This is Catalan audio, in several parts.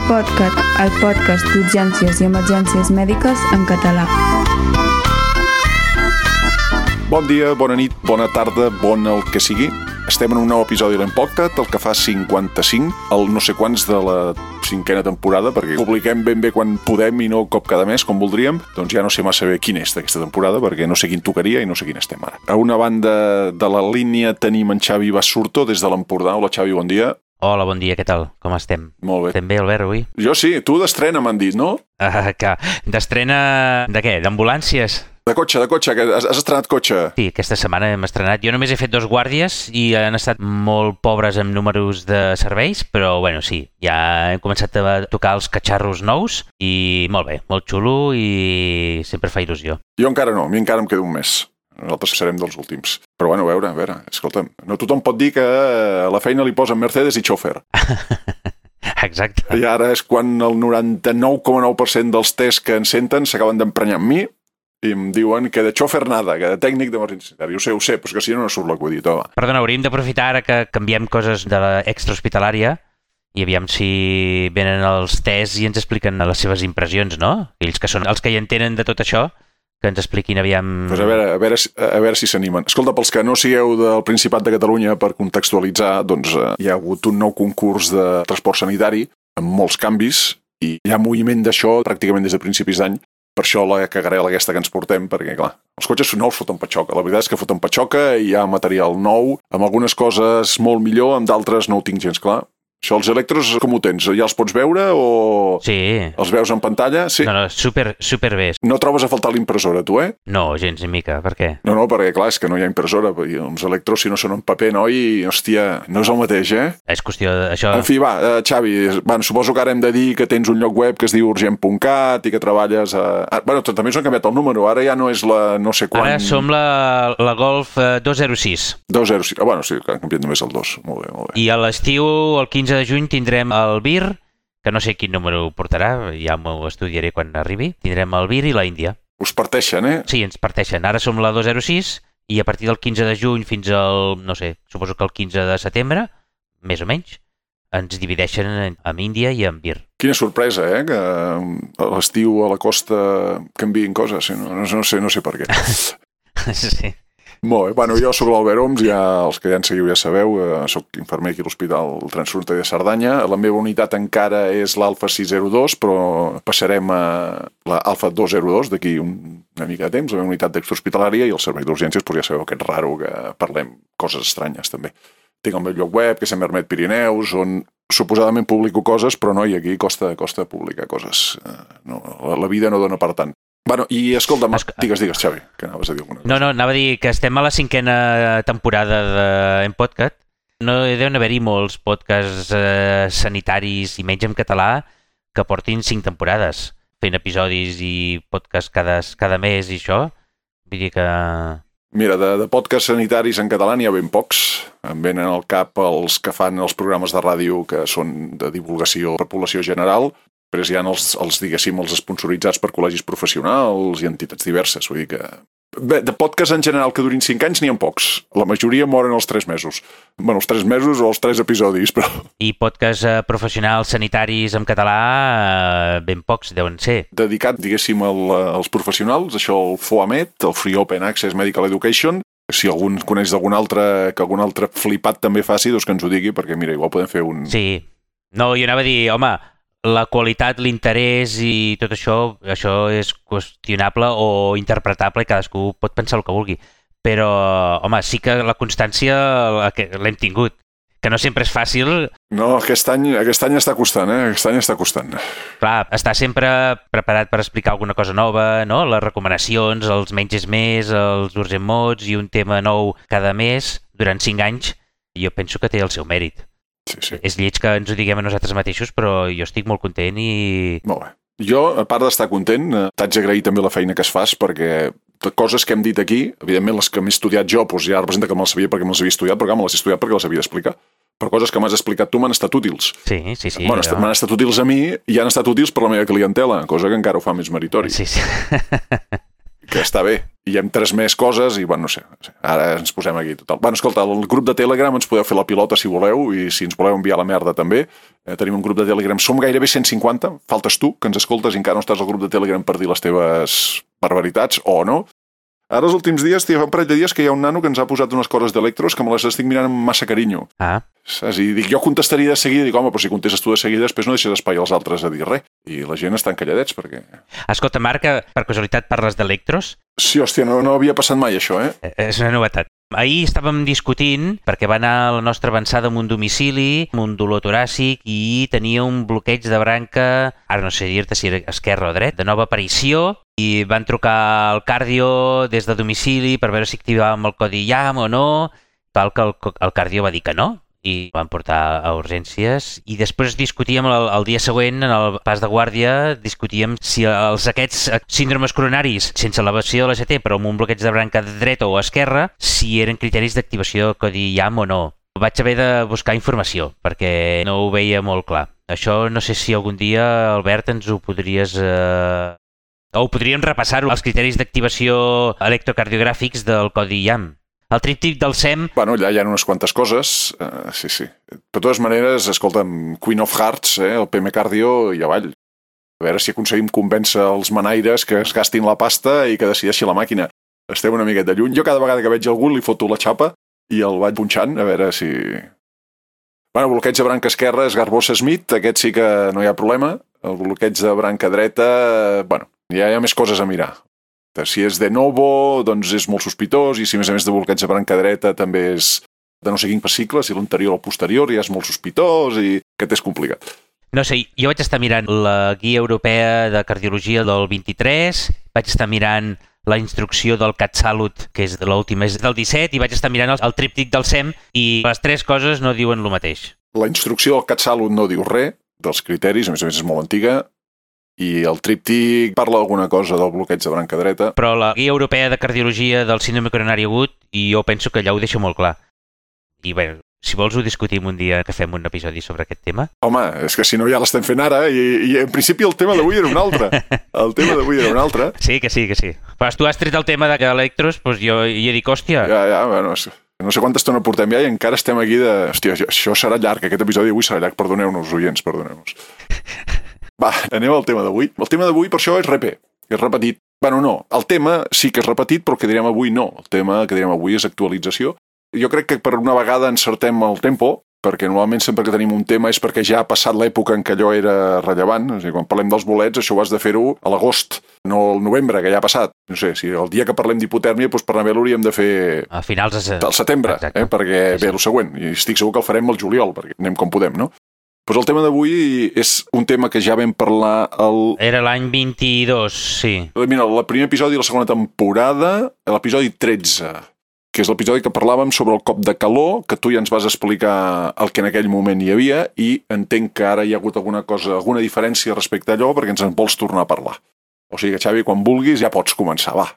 PodCat, el podcast d'urgències i emergències mèdiques en català. Bon dia, bona nit, bona tarda, bon el que sigui. Estem en un nou episodi de l'Empodcat, el que fa 55, el no sé quants de la 5a temporada, perquè publiquem ben bé quan podem i no cop cada mes, com voldríem. Doncs ja no sé massa bé quin és d'aquesta temporada, perquè no sé quin tocaria i no sé quin estem ara. A una banda de la línia tenim en Xavi Basurto, des de l'Empordà. Hola, Xavi, bon dia. Hola, bon dia, què tal? Com estem? Molt bé. Estem bé, Albert, avui? Jo sí, tu d'estrena m'han dit, no? Que d'estrena de què? D'ambulàncies? De cotxe, que has estrenat cotxe. Sí, aquesta setmana hem estrenat. Jo només he fet 2 guàrdies i han estat molt pobres en números de serveis, però bueno, sí, ja hem començat a tocar els catxarros nous i molt bé, molt xulo i sempre fa il·lusió. Jo encara no, a mi encara em queda un mes. Nosaltres serem dels últims. Però bueno, a veure, escolta'm, no tothom pot dir que a la feina li posen Mercedes i xòfer. Exacte. I ara és quan el 99,9% dels tests que ens senten s'acaben d'emprenyar amb mi i em diuen que de xòfer nada, que de tècnic d'emergència. Ho sé, però és que si no surt la que ho he dit. Perdona, hauríem d'aprofitar ara que canviem coses de l'extrahospitalària i aviam si venen els tests i ens expliquen les seves impressions, no? Ells que són els que hi entenen de tot això, que ens expliquin aviam... Pues a veure si s'animen. Escolta, pels que no sigueu del Principat de Catalunya, per contextualitzar, doncs hi ha hagut un nou concurs de transport sanitari amb molts canvis i hi ha moviment d'això pràcticament des de principis d'any. Per això la cagarela aquesta que ens portem, perquè, clar, els cotxes nous foten patxoca. La veritat és que foten patxoca i hi ha material nou, amb algunes coses molt millor, amb d'altres no ho tinc gens clar. Això, els electros, com ho tens? Ja els pots veure o Sí. Els veus en pantalla? Sí. No, super bé. No trobes a faltar l'impressora, tu, eh? No, gens ni mica. Per què? No, perquè, clar, és que no hi ha impressora. I els electros, si no són en paper, noi, hòstia, no és el mateix, eh? És qüestió d'això... En fi, va, Xavi, suposo que ara hem de dir que tens un lloc web que es diu urgent.cat i que treballes a... Bueno, també s'han canviat el número, ara ja no és la no sé quan... Ara som la Golf 206. 206. Bueno, sí, que han canviat només el 2. Molt bé. I a l'estiu, el 15 de juny, tindrem el VIR, que no sé quin número portarà, ja m'ho estudiaré quan arribi. Tindrem el VIR i la Índia. Us parteixen, eh? Sí, ens parteixen. Ara som la 206 i a partir del 15 de juny fins al, no sé, suposo que el 15 de setembre, més o menys, ens divideixen en Índia i en VIR. Quina sorpresa, que a l'estiu a la costa canviïn coses. No sé per què. Sí. Molt bé. Bueno, jo soc l'Albert Oms, ja els que ja ens seguiu ja sabeu, soc infermer aquí a l'Hospital Transfronterer de Cerdanya. La meva unitat encara és l'Alfa 602, però passarem a l'Alfa 202 d'aquí una mica de temps, la meva unitat d'extrahospitalària i el servei d'urgències, doncs ja sabeu que és raro que parlem coses estranyes també. Tinc el meu lloc web, que és Mermet Pirineus, on suposadament publico coses, però no, i aquí costa publicar coses. No, la vida no dona per tant. Bueno, i escolta'm, digues, Xavi, que anaves a dir alguna cosa. No, anava a dir que estem a la 5a temporada d'Empodcat. No deuen haver-hi molts podcasts sanitaris i menys en català que portin 5 temporades, fent episodis i podcasts cada mes i això. Vull dir que... Mira, de podcasts sanitaris en català n'hi ha ben pocs. Em venen al cap els que fan els programes de ràdio que són de divulgació per població general, però hi ha els sponsoritzats per col·legis professionals i entitats diverses. Vull dir que... Bé, de podcasts en general que durin 5 anys n'hi ha pocs. La majoria moren als 3 mesos. Bueno, els 3 mesos o els 3 episodis, però... I podcasts professionals sanitaris en català ben pocs deuen ser. Dedicat, diguéssim, als professionals, això el FOAMED, el Free Open Access Medical Education. Si algú coneix d'algun altre, que algun altre flipat també faci, doncs que ens ho digui, perquè mira, igual podem fer un... Sí. No, jo anava a dir, home, la qualitat, l'interès i tot això és qüestionable o interpretable i cadascú pot pensar el que vulgui. Però, home, sí que la constància l'hem tingut. Que no sempre és fàcil. No, aquest any està costant, Aquest any està costant. Clar, estar sempre preparat per explicar alguna cosa nova, no? Les recomanacions, els menys és més, els urgent mods i un tema nou cada mes durant 5 anys, jo penso que té el seu mèrit. Sí. És lleig que ens ho diguem a nosaltres mateixos, però jo estic molt content i... Molt bé. Jo, a part d'estar content, t'haig d'agrair també la feina que es fas, perquè coses que hem dit aquí, evidentment les que m'he estudiat jo, doncs ja representa que me'ls sabia perquè me'ls havia estudiat, però me les he estudiat perquè les havia d'explicar. Però coses que m'has explicat tu m'han estat útils. Sí. Bueno, m'han estat útils a mi i han estat útils per la meva clientela, cosa que encara ho fa més meritori. Sí. que està bé. I hem 3 més coses i, bueno, no sé, ara ens posem aquí total. Bueno, escolta, el grup de Telegram ens podeu fer la pilota si voleu i si ens voleu enviar la merda també. Tenim un grup de Telegram, som gairebé 150, faltes tu, que ens escoltes i encara no estàs al grup de Telegram per dir les teves barbaritats, o no. Ara, els últims dies, fa un parell de dies que hi ha un nano que ens ha posat unes coses d'electros que me les estic mirant amb massa carinyo. Saps? I dic, jo contestaria de seguida, dic, home, però si contestes tu de seguida, després no deixes espai als altres a dir res. I la gent estan calladets, perquè... Escolta, Marc, per casualitat parles d'electros? Sí, hòstia, no havia passat mai això, És una novetat. Ahir estàvem discutint, perquè va anar la nostra avançada amb un domicili, amb un dolor toràcic, i tenia un bloqueig de branca, ara no sé dir-te si era esquerra o dret, de nova aparició, i van trucar al cardio des de domicili per veure si activàvem el codi IAM o no, tal que el cardio va dir que no, i van portar a urgències, i després discutíem el dia següent, en el pas de guàrdia, discutíem si aquests síndromes coronaris sense elevació de l'ACT però amb un bloqueig de branca dreta o esquerra, si eren criteris d'activació codi IAM o no. Vaig haver de buscar informació perquè no ho veia molt clar. Això no sé si algun dia, Albert, ens ho podries... o podríem repassar els criteris d'activació electrocardiogràfics del codi IAM. El tríptic del SEM... Bueno, allà hi ha unes quantes coses, sí. De totes maneres, escolta'm, Queen of Hearts, el PM Cardio i avall. A veure si aconseguim convèncer els manaires que es gastin la pasta i que decideixi la màquina. Esteu una miqueta lluny. Jo cada vegada que veig algú li foto la xapa i el vaig punxant, a veure si... Bueno, bloqueig de branca esquerra és Garbosa Smith, aquest sí que no hi ha problema. El bloqueig de branca dreta, bueno, ja hi ha més coses a mirar. Si és de novo, doncs és molt sospitós, i si a més de bloqueig de branca dreta també és de no sé quin fascicle, si l'anterior o el posterior ja és molt sospitós i aquest és complicat. No sé, jo vaig estar mirant la guia europea de cardiologia del 23, vaig estar mirant la instrucció del CatSalut, que és de l'última, és del 17, i vaig estar mirant el tríptic del SEM, i les 3 coses no diuen el mateix. La instrucció del CatSalut no diu res dels criteris, a més és molt antiga, i el tríptic parla alguna cosa del bloqueig de branca dreta. Però la guia europea de cardiologia del síndrome coronari agut, i jo penso que allà ho deixa molt clar. I bé, si vols ho discutim un dia que fem un episodi sobre aquest tema. Home, és que si no ja l'estem fent ara, i en principi el tema d'avui era un altre. El tema d'avui era un altre. Sí, que sí. Però tu has tret el tema d'electros, doncs jo he dit, hòstia... Ja, bueno, no sé quanta estona portem ja i encara estem aquí de... Hòstia, això serà llarg, aquest episodi d'avui serà llarg. Perdoneu-nos, oients, perdoneu-nos. Va, anem al tema d'avui. El tema d'avui, per això, és repé. És repetit. Bueno, no. El tema sí que és repetit, però el que direm avui no. El tema que direm avui és actualització. Jo crec que per una vegada encertem el tempo, perquè normalment sempre que tenim un tema és perquè ja ha passat l'època en què allò era rellevant. O sigui, quan parlem dels bolets, això ho has de fer-ho a l'agost, no al novembre, que ja ha passat. No sé, si el dia que parlem d'hipotèrmia, doncs per anar bé l'hauríem de fer a finals del setembre, perquè ve el següent. I estic segur que el farem al juliol, perquè anem com podem, no? Pues el tema d'avui és un tema que ja vam parlar Era l'any 22, sí. Mira, el primer episodi de la segona temporada, l'episodi 13, que és l'episodi que parlàvem sobre el cop de calor, que tu ja ens vas explicar el que en aquell moment hi havia, i entenc que ara hi ha hagut alguna diferència respecte a allò, perquè ens en vols tornar a parlar. O sigui que, Xavi, quan vulguis ja pots començar, va.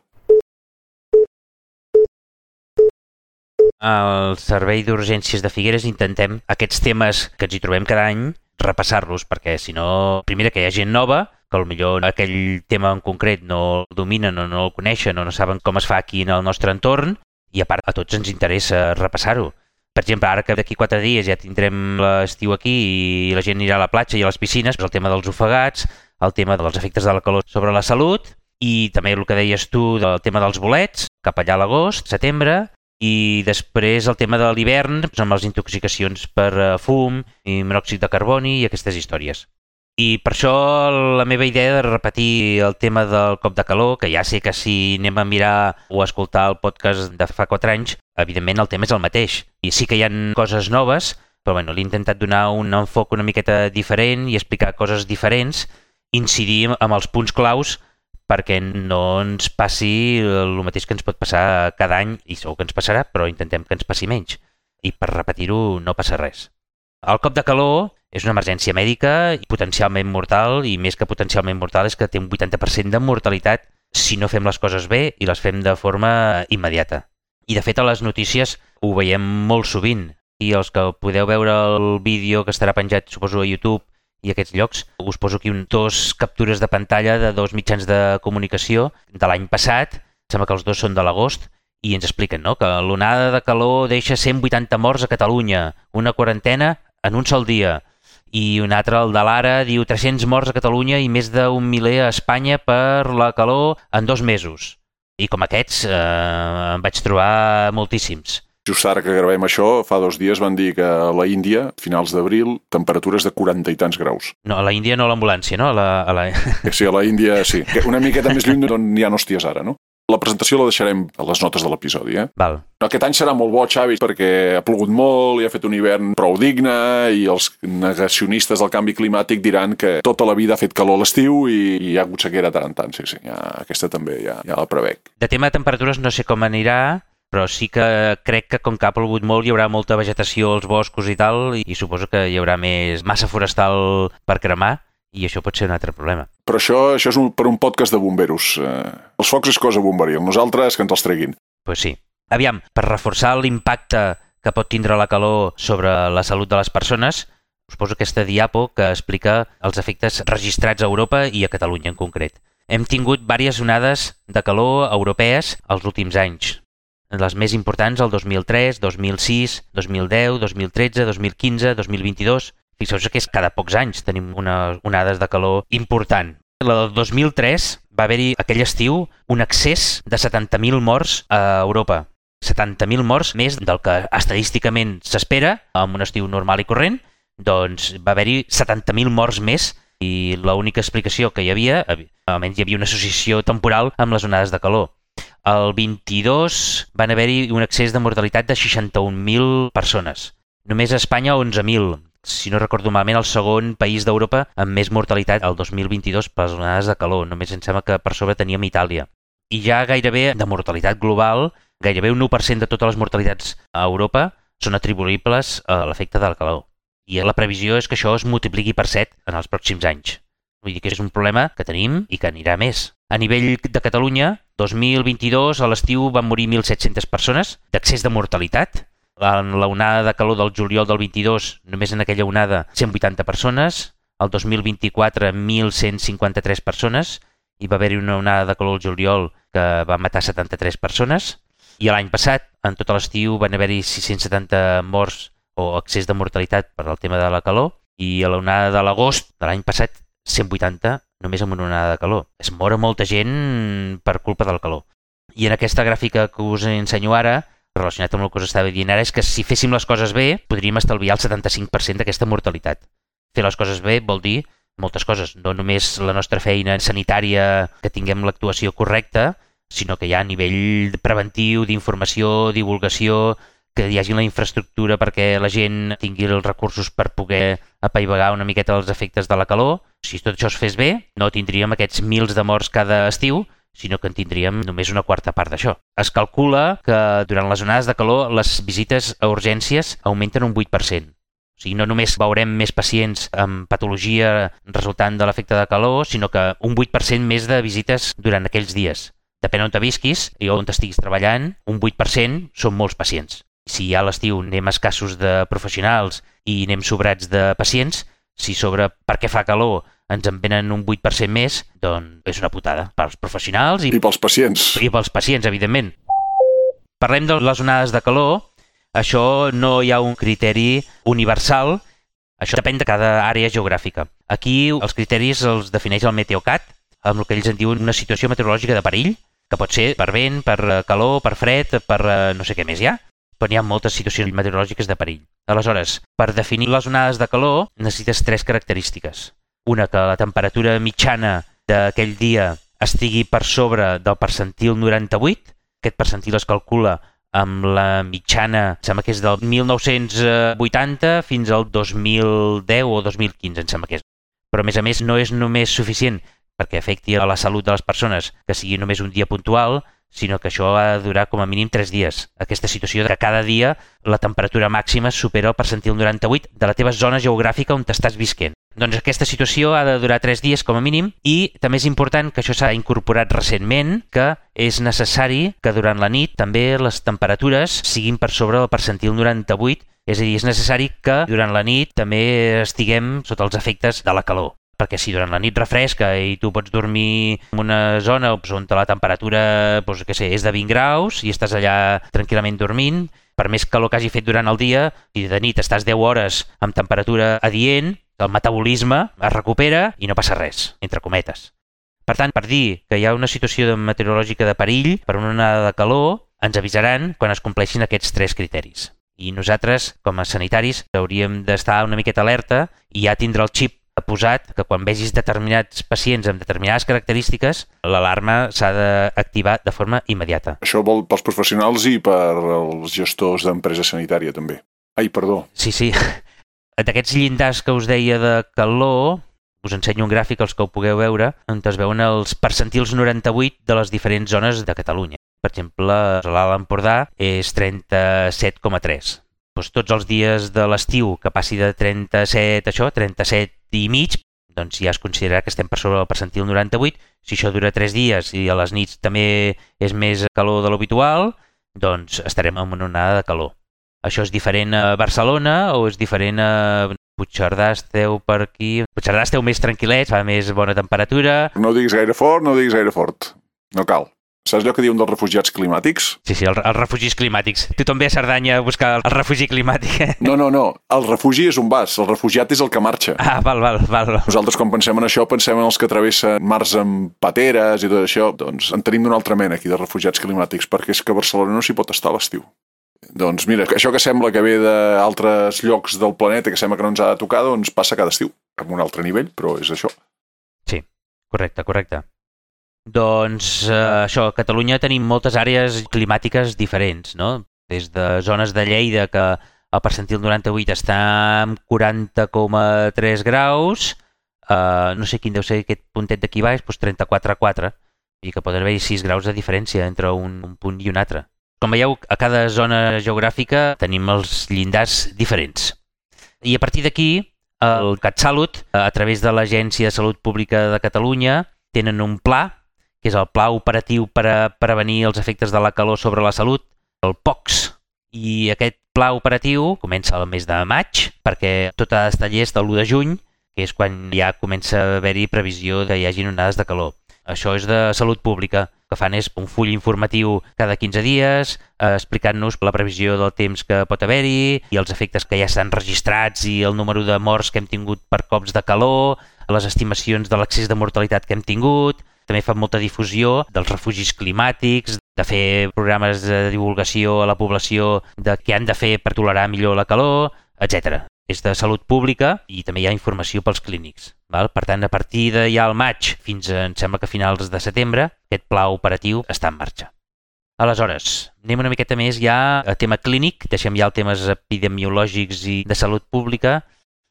Al Servei d'Urgències de Figueres intentem aquests temes que ens hi trobem cada any, repassar-los, perquè si no, primera, que hi ha gent nova, que potser aquell tema en concret no el dominen o no el coneixen o no saben com es fa aquí en el nostre entorn, i a part a tots ens interessa repassar-ho. Per exemple, ara que d'aquí 4 dies ja tindrem l'estiu aquí i la gent anirà a la platja i a les piscines, el tema dels ofegats, el tema dels efectes de la calor sobre la salut, i també el que deies tu del tema dels bolets, cap allà a l'agost, setembre, i després el tema de l'hivern, amb les intoxicacions per fum i monòxid de carboni i aquestes històries. I per això la meva idea de repetir el tema del cop de calor, que ja sé que si anem a mirar o a escoltar el podcast de fa 4 anys, evidentment el tema és el mateix. I sí que hi ha coses noves, però bueno, l'he intentat donar un enfoc una miqueta diferent i explicar coses diferents, incidir amb els punts claus perquè no ens passi el mateix que ens pot passar cada any, i segur que ens passarà, però intentem que ens passi menys. I per repetir-ho no passa res. El cop de calor és una emergència mèdica i potencialment mortal, i més que potencialment mortal és que té un 80% de mortalitat si no fem les coses bé i les fem de forma immediata. I de fet a les notícies ho veiem molt sovint, i els que podeu veure el vídeo que estarà penjat suposo a YouTube i aquests llocs, us poso aquí 2 captures de pantalla de 2 mitjans de comunicació de l'any passat sembla que els dos són de l'agost, i ens expliquen, no?, que l'onada de calor deixa 180 morts a Catalunya, una quarantena en un sol dia, i un altre, el de l'Ara, diu 300 morts a Catalunya i més d'un miler a Espanya per la calor en 2 mesos. I com aquests en vaig trobar moltíssims. Just ara que gravem això, fa 2 dies van dir que a la Índia, finals d'abril, temperatures de 40 i tants graus. No, a la Índia no a l'ambulància, no? Sí, a la Índia sí. Una miqueta més lluny d'on hi ha hòsties ara, no? La presentació la deixarem a les notes de l'episodi, Val. Aquest any serà molt bo, Xavi, perquè ha plogut molt i ha fet un hivern prou digne i els negacionistes del canvi climàtic diran que tota la vida ha fet calor a l'estiu i hi ha hagut sequera tant en tant. Sí, aquesta també ja la prevec. De tema de temperatures no sé com anirà, però sí que crec que com que ha plogut molt hi haurà molta vegetació als boscos i tal, i suposo que hi haurà més massa forestal per cremar, i això pot ser un altre problema. Però això és per un podcast de bomberos. Els focs és cosa bomberil, nosaltres que ens els treguin. Pues sí. Aviam, per reforçar l'impacte que pot tindre la calor sobre la salut de les persones, us poso aquesta diapo que explica els efectes registrats a Europa i a Catalunya en concret. Hem tingut diverses onades de calor europees els últims anys. Les més importants el 2003, 2006, 2010, 2013, 2015, 2022... Fixeu-vos que és cada pocs anys tenim unes onades de calor important. La del 2003 va haver-hi aquell estiu un excés de 70.000 morts a Europa. 70.000 morts més del que estadísticament s'espera en un estiu normal i corrent, doncs va haver-hi 70.000 morts més i l'única explicació que hi havia, almenys hi havia una associació temporal amb les onades de calor. El 22 van haver-hi un excés de mortalitat de 61.000 persones. Només a Espanya 11.000. Si no recordo malament, el segon país d'Europa amb més mortalitat el 2022 per les onades de calor. Només em sembla que per sobre teníem Itàlia. I ja gairebé de mortalitat global, gairebé un 1% de totes les mortalitats a Europa són atribuïbles a l'efecte de la calor. I la previsió és que això es multipliqui per 7 en els pròxims anys. Vull dir que és un problema que tenim i que anirà més. A nivell de Catalunya, 2022 a l'estiu van morir 1.700 persones d'excés de mortalitat. En la onada de calor del juliol del 22, només en aquella onada, 180 persones. El 2024, 1.153 persones. Hi va haver-hi una onada de calor al juliol que va matar 73 persones. I l'any passat, en tot l'estiu, van haver-hi 670 morts o excés de mortalitat per al tema de la calor. I a l'onada de l'agost de l'any passat, 180 només amb una onada de calor. Es mor molta gent per culpa del calor. I en aquesta gràfica que us ensenyo ara, relacionat amb el que us estava dient ara, és que si féssim les coses bé, podríem estalviar el 75% d'aquesta mortalitat. Fer les coses bé vol dir moltes coses, no només la nostra feina sanitària, que tinguem l'actuació correcta, sinó que hi ha a nivell preventiu, d'informació, divulgació, que hi hagi la infraestructura perquè la gent tingui els recursos per poder apaivagar una miqueta els efectes de la calor. Si tot això es fes bé, no tindríem aquests mils de morts cada estiu, sinó que en tindríem només una quarta part d'això. Es calcula que durant les onades de calor les visites a urgències augmenten un 8%. O sigui, no només veurem més pacients amb patologia resultant de l'efecte de calor, sinó que un 8% més de visites durant aquells dies. Depèn on te visquis i on estiguis treballant, un 8% són molts pacients. Si ja a l'estiu anem escassos de professionals i anem sobrats de pacients, si sobre per què fa calor ens en venen un 8% més, doncs és una putada pels professionals i pels pacients. I pels pacients, evidentment. Parlem de les onades de calor. Això no hi ha un criteri universal. Això depèn de cada àrea geogràfica. Aquí els criteris els defineix el Meteocat, amb el que ells en diuen una situació meteorològica de perill, que pot ser per vent, per calor, per fred, per no sé què més hi ha, però hi ha moltes situacions meteorològiques de perill. Aleshores, per definir les onades de calor necessites 3 característiques. Una, que la temperatura mitjana d'aquell dia estigui per sobre del percentil 98. Aquest percentil es calcula amb la mitjana, em sembla que és del 1980 fins al 2010 o 2015, em sembla que és. Però, a més, no és només suficient perquè afecti a la salut de les persones que sigui només un dia puntual, sinó que això ha de durar com a mínim 3 dies. Aquesta situació que cada dia la temperatura màxima supera el percentil 98 de la teva zona geogràfica on t'estàs visquent. Doncs aquesta situació ha de durar 3 dies com a mínim i també és important que això s'ha incorporat recentment, que és necessari que durant la nit també les temperatures siguin per sobre del percentil 98, és a dir, és necessari que durant la nit també estiguem sota els efectes de la calor. perquè si durant la nit refresca i tu pots dormir en una zona on la temperatura és de 20 graus i estàs allà tranquil·lament dormint, per més calor que hagi fet durant el dia, i de nit estàs 10 hores amb temperatura adient, el metabolisme es recupera i no passa res, entre cometes. Per tant, per dir que hi ha una situació meteorològica de perill per una onada de calor, ens avisaran quan es compleixin aquests 3 criteris. I nosaltres, com a sanitaris, hauríem d'estar una miqueta alerta i ja tindre el xip posat que quan vegis determinats pacients amb determinades característiques, l'alarma s'ha d'activar de forma immediata. Això vol pels professionals i per als gestors d'empresa sanitària, també. Ai, perdó. Sí. D'aquests llindars que us deia de calor, us ensenyo un gràfic als que ho pugueu veure, on es veuen els percentils 98 de les diferents zones de Catalunya. Per exemple, l'Alt Empordà és 37,3. Tots els dies de l'estiu que passi de 37 i mig, doncs ja es considerarà que estem per sobre del percentil 98. Si això dura 3 dies i a les nits també és més calor de l'habitual, doncs estarem en una onada de calor. Això és diferent a Barcelona o és diferent a Puigcerdà? Esteu per aquí. Puigcerdà esteu més tranquil·lets, fa més bona temperatura. No diguis gaire fort, no diguis gaire fort. No cal. Saps allò que diuen dels refugiats climàtics? Sí, els refugis climàtics. Tothom ve a Cerdanya a buscar el refugi climàtic. No. El refugi és on vas, el refugiat és el que marxa. Ah, val. Nosaltres, quan pensem en això, pensem en els que travessen mars amb pateres i tot això. Doncs en tenim d'una altra mena aquí, de refugiats climàtics, perquè és que a Barcelona no s'hi pot estar a l'estiu. Doncs mira, això que sembla que ve d'altres llocs del planeta, que sembla que no ens ha de tocar, doncs passa cada estiu, amb un altre nivell, però és això. Sí, correcte. Doncs això, a Catalunya tenim moltes àrees climàtiques diferents, no? Des de zones de Lleida, que el percentil 98 està en 40,3 graus, no sé quin deu ser aquest puntet d'aquí baix, doncs 34,4, i que poden haver-hi 6 graus de diferència entre un punt i un altre. Com veieu, a cada zona geogràfica tenim els llindars diferents. I a partir d'aquí, el CatSalut, a través de l'Agència de Salut Pública de Catalunya, tenen un pla, que és el Pla Operatiu per a prevenir els efectes de la calor sobre la salut, el POCS. I aquest pla operatiu comença el mes de maig, perquè tot ha d'estar llest l'1 de juny, que és quan ja comença a haver-hi previsió que hi hagin onades de calor. Això és de salut pública. El que fan és un full informatiu cada 15 dies, explicant-nos la previsió del temps que pot haver-hi i els efectes que ja estan registrats i el número de morts que hem tingut per cops de calor, les estimacions de l'excés de mortalitat que hem tingut. També fan molta difusió dels refugis climàtics, de fer programes de divulgació a la població de què han de fer per tolerar millor la calor, etc. És de salut pública i també hi ha informació pels clínics. Per tant, a partir de ja al maig fins a, em sembla que a finals de setembre, aquest pla operatiu està en marxa. Aleshores, anem una miqueta més ja a tema clínic, deixem ja els temes epidemiològics i de salut pública.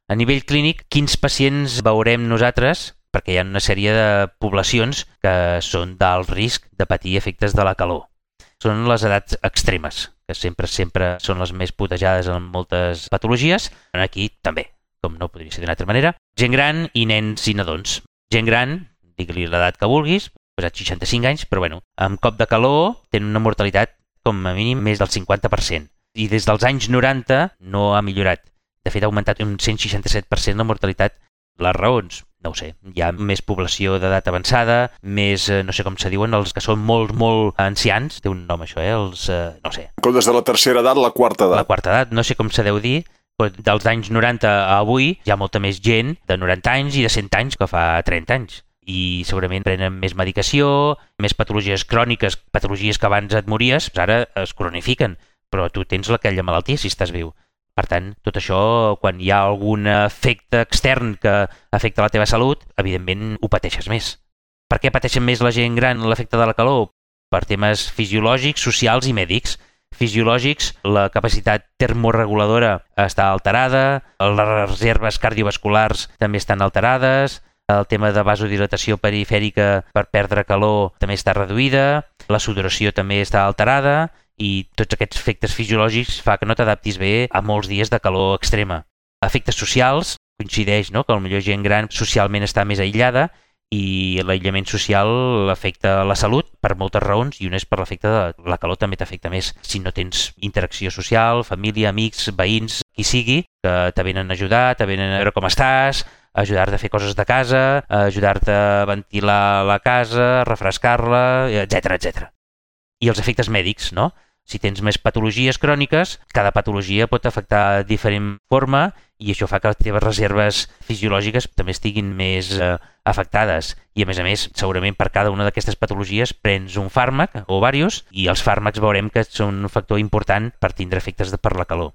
A nivell clínic, quins pacients veurem nosaltres? Perquè hi ha una sèrie de poblacions que són d'alt risc de patir efectes de la calor. Són les edats extremes, que sempre són les més putejades en moltes patologies. Aquí també, com no podria ser d'una altra manera. Gent gran i nens i nadons. Gent gran, digue-li l'edat que vulguis, posat 65 anys, però amb cop de calor tenen una mortalitat com a mínim més del 50%. I des dels anys 90 no ha millorat. De fet, ha augmentat un 167% la mortalitat. Les raons? No ho sé. Hi ha més població d'edat avançada, més, no sé com se diuen, els que són molt ancians. Té un nom això, no sé. En comptes de la tercera edat, la quarta edat. La quarta edat, no sé com se deu dir, però dels anys 90 a avui hi ha molta més gent de 90 anys i de 100 anys que fa 30 anys. I segurament prenen més medicació, més patologies cròniques, patologies que abans et mories, ara es cronifiquen, però tu tens aquella malaltia si estàs viu. Per tant, tot això, quan hi ha algun efecte extern que afecta la teva salut, evidentment ho pateixes més. Per què pateixen més la gent gran l'efecte de la calor? Per temes fisiològics, socials i mèdics. Fisiològics, la capacitat termoreguladora està alterada, les reserves cardiovasculars també estan alterades, el tema de vasodilatació perifèrica per perdre calor també està reduïda, la sudoració també està alterada, i tots aquests efectes fisiològics fa que no t'adaptis bé a molts dies de calor extrema. Efectes socials, coincideix, no?, que potser gent gran socialment està més aïllada i l'aïllament social afecta la salut per moltes raons i una és per l'efecte de la calor també t'afecta més. Si no tens interacció social, família, amics, veïns, qui sigui, que te venen a ajudar, te venen a veure com estàs, ajudar-te a fer coses de casa, ajudar-te a ventilar la casa, a refrescar-la, etc. I els efectes mèdics, no? Si tens més patologies cròniques, cada patologia pot afectar de diferent forma i això fa que les teves reserves fisiològiques també estiguin més afectades. I a més, segurament per cada una d'aquestes patologies prens un fàrmac o diversos i els fàrmacs veurem que són un factor important per tindre efectes per la calor.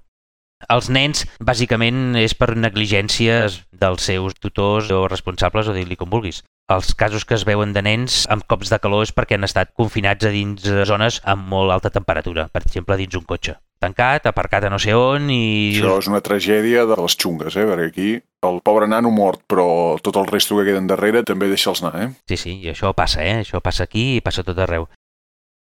Els nens, bàsicament, és per negligències dels seus tutors o responsables o dir-li com vulguis. Els casos que es veuen de nens amb cops de calor és perquè han estat confinats a dins zones amb molt alta temperatura, per exemple, dins un cotxe. Tancat, aparcat a no sé on i... Això és una tragèdia de les xungues, perquè aquí el pobre nano mort, però tot el resto que queden darrere també deixa'ls anar, Sí, i això passa, Això passa aquí i passa tot arreu.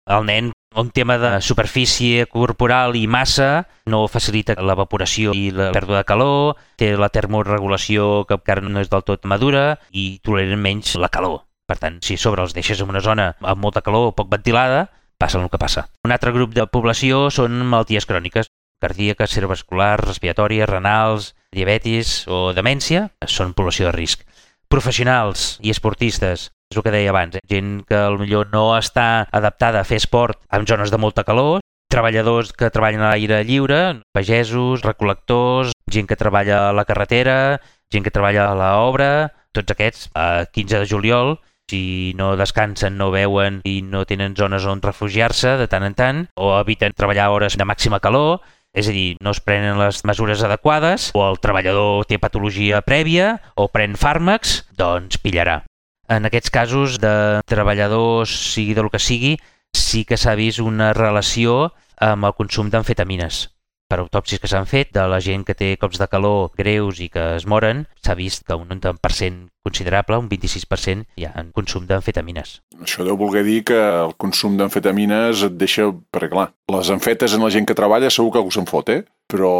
El nen, un tema de superfície corporal i massa, no facilita l'evaporació i la pèrdua de calor, té la termorregulació que encara no és del tot madura i toleren menys la calor. Per tant, si a sobre els deixes en una zona amb molta calor o poc ventilada, passa el que passa. Un altre grup de població són malalties cròniques, cardíaques, cerebrovasculars, respiratòries, renals, diabetis o demència, són població de risc. Professionals i esportistes, és el que deia abans, gent que potser no està adaptada a fer esport en zones de molta calor, treballadors que treballen a l'aire lliure, pagesos, recol·lectors, gent que treballa a la carretera, gent que treballa a l'obra, tots aquests, a 15 de juliol, si no descansen, no veuen i no tenen zones on refugiar-se de tant en tant, o eviten treballar hores de màxima calor, és a dir, no es prenen les mesures adequades, o el treballador té patologia prèvia, o pren fàrmacs, doncs pillarà. En aquests casos de treballadors, sigui del que sigui, sí que s'ha vist una relació amb el consum d'amfetamines. Per autòpsies que s'han fet de la gent que té cops de calor greus i que es moren, s'ha vist que un 90% considerable, un 26%, hi ha en consum d'amfetamines. Això deu voler dir que el consum d'amfetamines et deixa... Perquè clar, les amfetes en la gent que treballa segur que algú se'n fot, però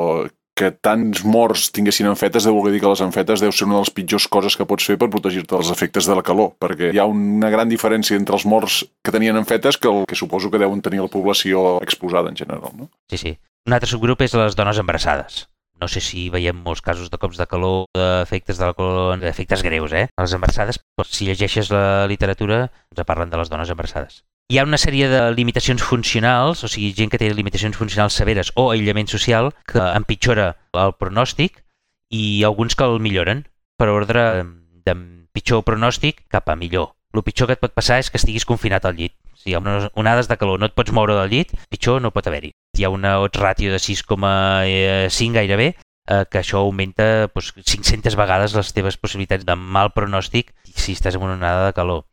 que tants morts tinguessin amfetes deu voler dir que les amfetes deu ser una de les pitjors coses que pots fer per protegir-te dels efectes de la calor, perquè hi ha una gran diferència entre els morts que tenien amfetes que el que suposo que deuen tenir la població exposada en general, no? Sí. Un altre subgrup és les dones embarassades. No sé si veiem molts casos de cops de calor, d'efectes de la calor, d'efectes greus, Les embarassades, si llegeixes la literatura, ens parlen de les dones embarassades. Hi ha una sèrie de limitacions funcionals, o sigui, gent que té limitacions funcionals severes o aïllament social, que empitjora el pronòstic i alguns que el milloren, per ordre de pitjor pronòstic cap a millor. El pitjor que et pot passar és que estiguis confinat al llit. Si hi ha onades de calor, no et pots moure del llit, pitjor no pot haver-hi. Hi ha una odds ràtio de 6,5 gairebé, que això augmenta 500 vegades les teves possibilitats de mal pronòstic si estàs en una onada de calor.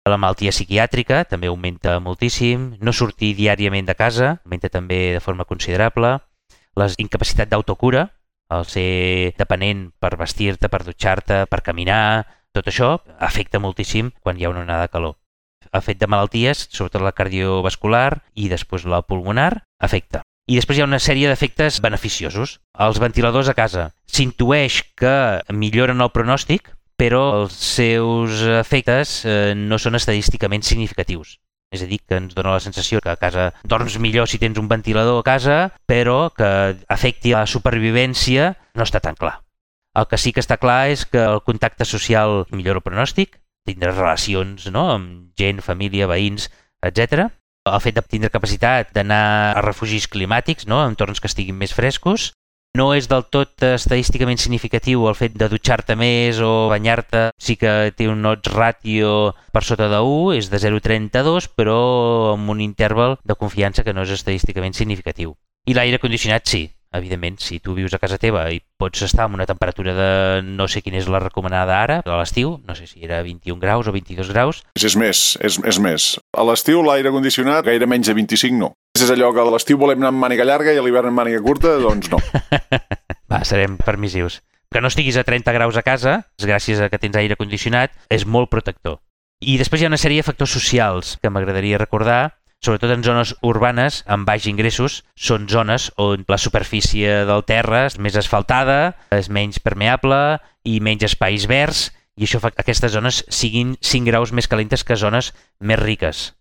La malaltia psiquiàtrica també augmenta moltíssim, no sortir diàriament de casa augmenta també de forma considerable, la incapacitat d'autocura, el ser dependent per vestir-te, per dutxar-te, per caminar, tot això afecta moltíssim quan hi ha una onada de calor. El fet de malalties, sobretot la cardiovascular i després la pulmonar, afecta. I després hi ha una sèrie d'efectes beneficiosos. Els ventiladors a casa s'intueix que milloren el pronòstic, però els seus efectes no són estadísticament significatius. És a dir, que ens dona la sensació que a casa dorms millor si tens un ventilador a casa, però que afecti la supervivència no està tan clar. El que sí que està clar és que el contacte social millora el pronòstic, tindre relacions amb gent, família, veïns, etc. El fet de tindre capacitat d'anar a refugis climàtics, en entorns que estiguin més frescos. No és del tot estadísticament significatiu el fet de dutxar-te més o banyar-te. Sí que té un odds ràtio per sota de 1, és de 0,32, però amb un interval de confiança que no és estadísticament significatiu. I l'aire condicionat sí. Evidentment, si tu vius a casa teva i pots estar amb una temperatura de no sé quina és la recomanada ara, a l'estiu, no sé si era 21 graus o 22 graus. És més. A l'estiu l'aire condicionat gaire menys de 25 no. És allò que a l'estiu volem anar amb màniga llarga i a l'hivern amb màniga curta, doncs no. Va, serem permissius. Que no estiguis a 30 graus a casa, gràcies a que tens aire condicionat, és molt protector. I després hi ha una sèrie de factors socials que m'agradaria recordar. Sobretot en zones urbanes amb baix ingressos, són zones on la superfície del terra és més asfaltada, és menys permeable i menys espais verds, i això fa que aquestes zones siguin 5 graus més calentes que zones més riques.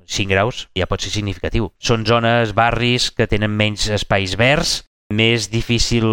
5 graus ja pot ser significatiu. Són zones, barris que tenen menys espais verds, més difícil